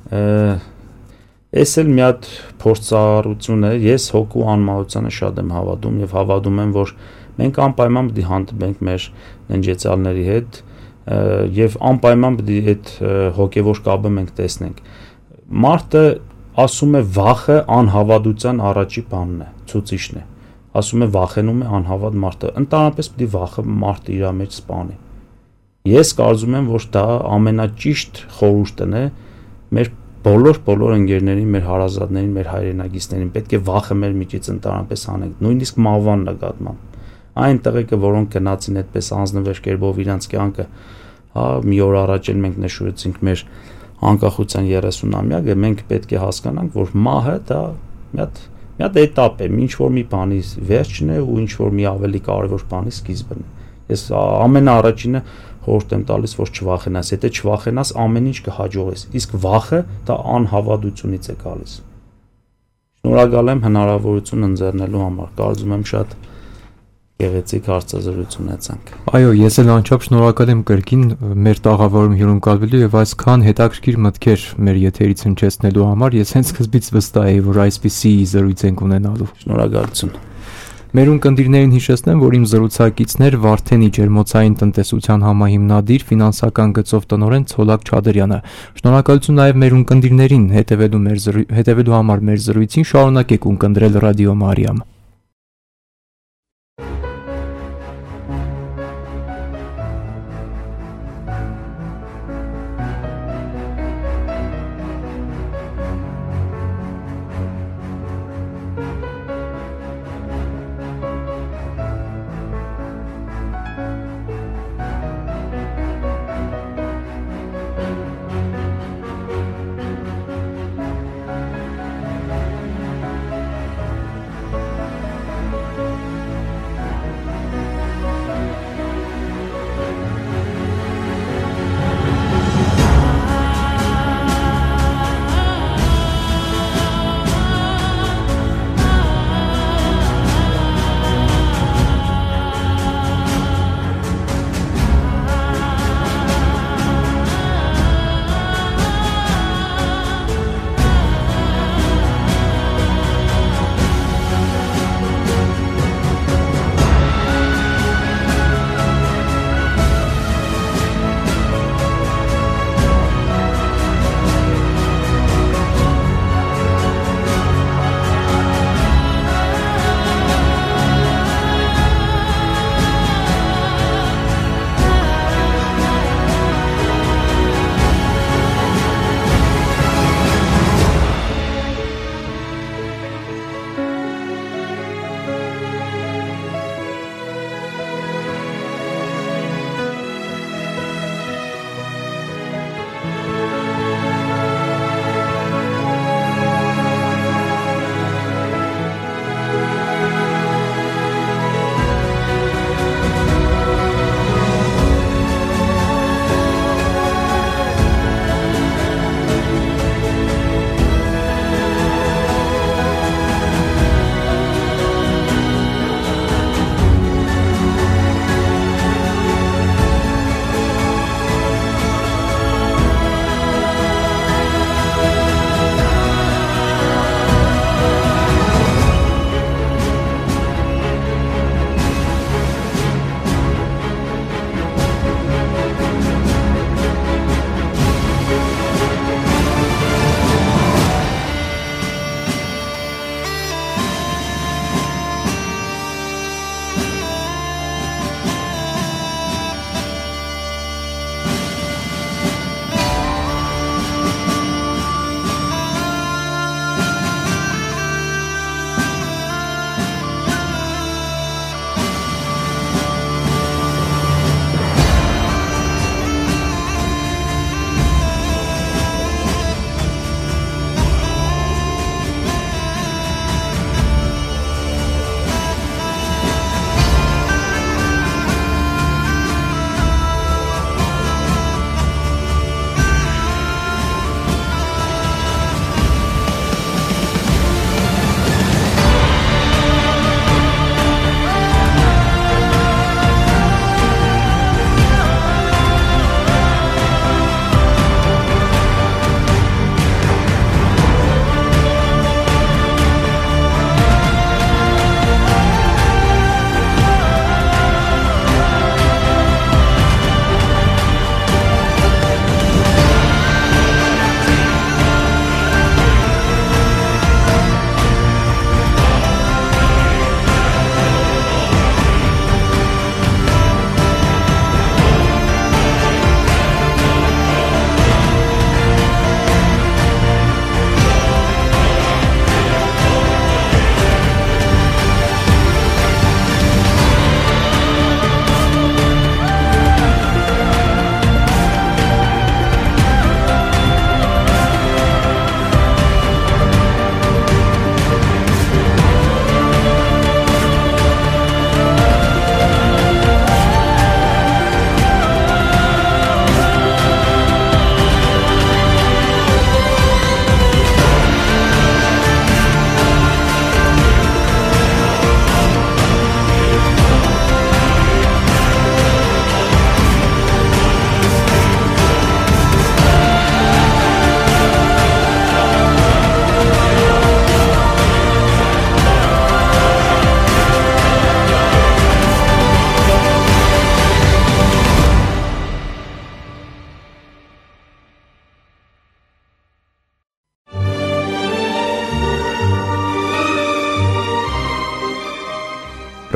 այս էլ մի հատ փորձառություն է, ես հոգու անմահությանը շատ եմ հավատում եւ հավատում եմ, որ մենք անպայման պետք է հանդիպենք մեր ննջեցալների հետ եւ անպայման պետք է այդ հոգեվոր կապը մենք տեսնենք։ Մարդը ասում է վախը անհավատության առաջի բանն է, ցուցիչն է։ Ասում է վախենում է անհավատ մարդը, ընդհանրապես պետք է վախը մարդը իր մեջ սպանի։ Ես կարծում եմ, որ դա ամենաճիշտ խորհուրդն է մեր բոլոր ընկերներին, մեր հարազատներին, մեր հայրենակիցներին, պետք է վախը մեր միջից ընդհանրապես անենք, նույնիսկ մահվան նկատմամբ։ Այն տղեկը, որոնք գնացին այդպես անձնվեր կերպով իրանց կյանքը, հա, մի օր առաջ էլ մենք նշեցինք մեր անկախության 30-ամյակը, մենք պետք է հասկանանք, որ մահը դա մի հատ էտապ է, ինչ որ մի բանի վերջն է ու ինչ որ մի ավելի կարևոր բանի սկիզբն է։ Ես ամենաառաջինը խորհուրդ եմ տալիս, որ չվախենաս, եթե չվախենաս, ամեն ինչ կհաջողես, իսկ վախը դա անհավատությունից է գալիս։ Շնորհակալ եմ հնարավորություն ընձեռնելու համար, կարծում եմ շատ գեղեցիկ հարցազրույց ունեցանք։ Այո, ես էլ անչափ շնորհակալ եմ կրկին մեր տաղավարում հյուրընկալվելու եւ այսքան հետաքրքիր մտքեր մեր եթերից հնչեցնելու համար։ Ես հենց սկզբից վստահ էի, որ այսպիսի զրույց ենք ունենալու։ Շնորհակալություն։ Մեր ունկնդիրներին հիշեցնեմ, որ իմ զրուցակիցն էր Վարդենի ջերմոցային տնտեսության համահիմնադիր ֆինանսական գծով տնօրեն Ցոլակ Չադրյանը։ Շնորհակալություն նաև մեր ունկնդիրներին հետևելու համար մեր զրույցին, շարունակեք ունկնդրել Ռադիո Մարիամ։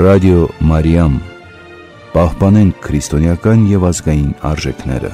Ռադիո Մարիամ, պահպանենք քրիստոնեական եւ ազգային արժեքները։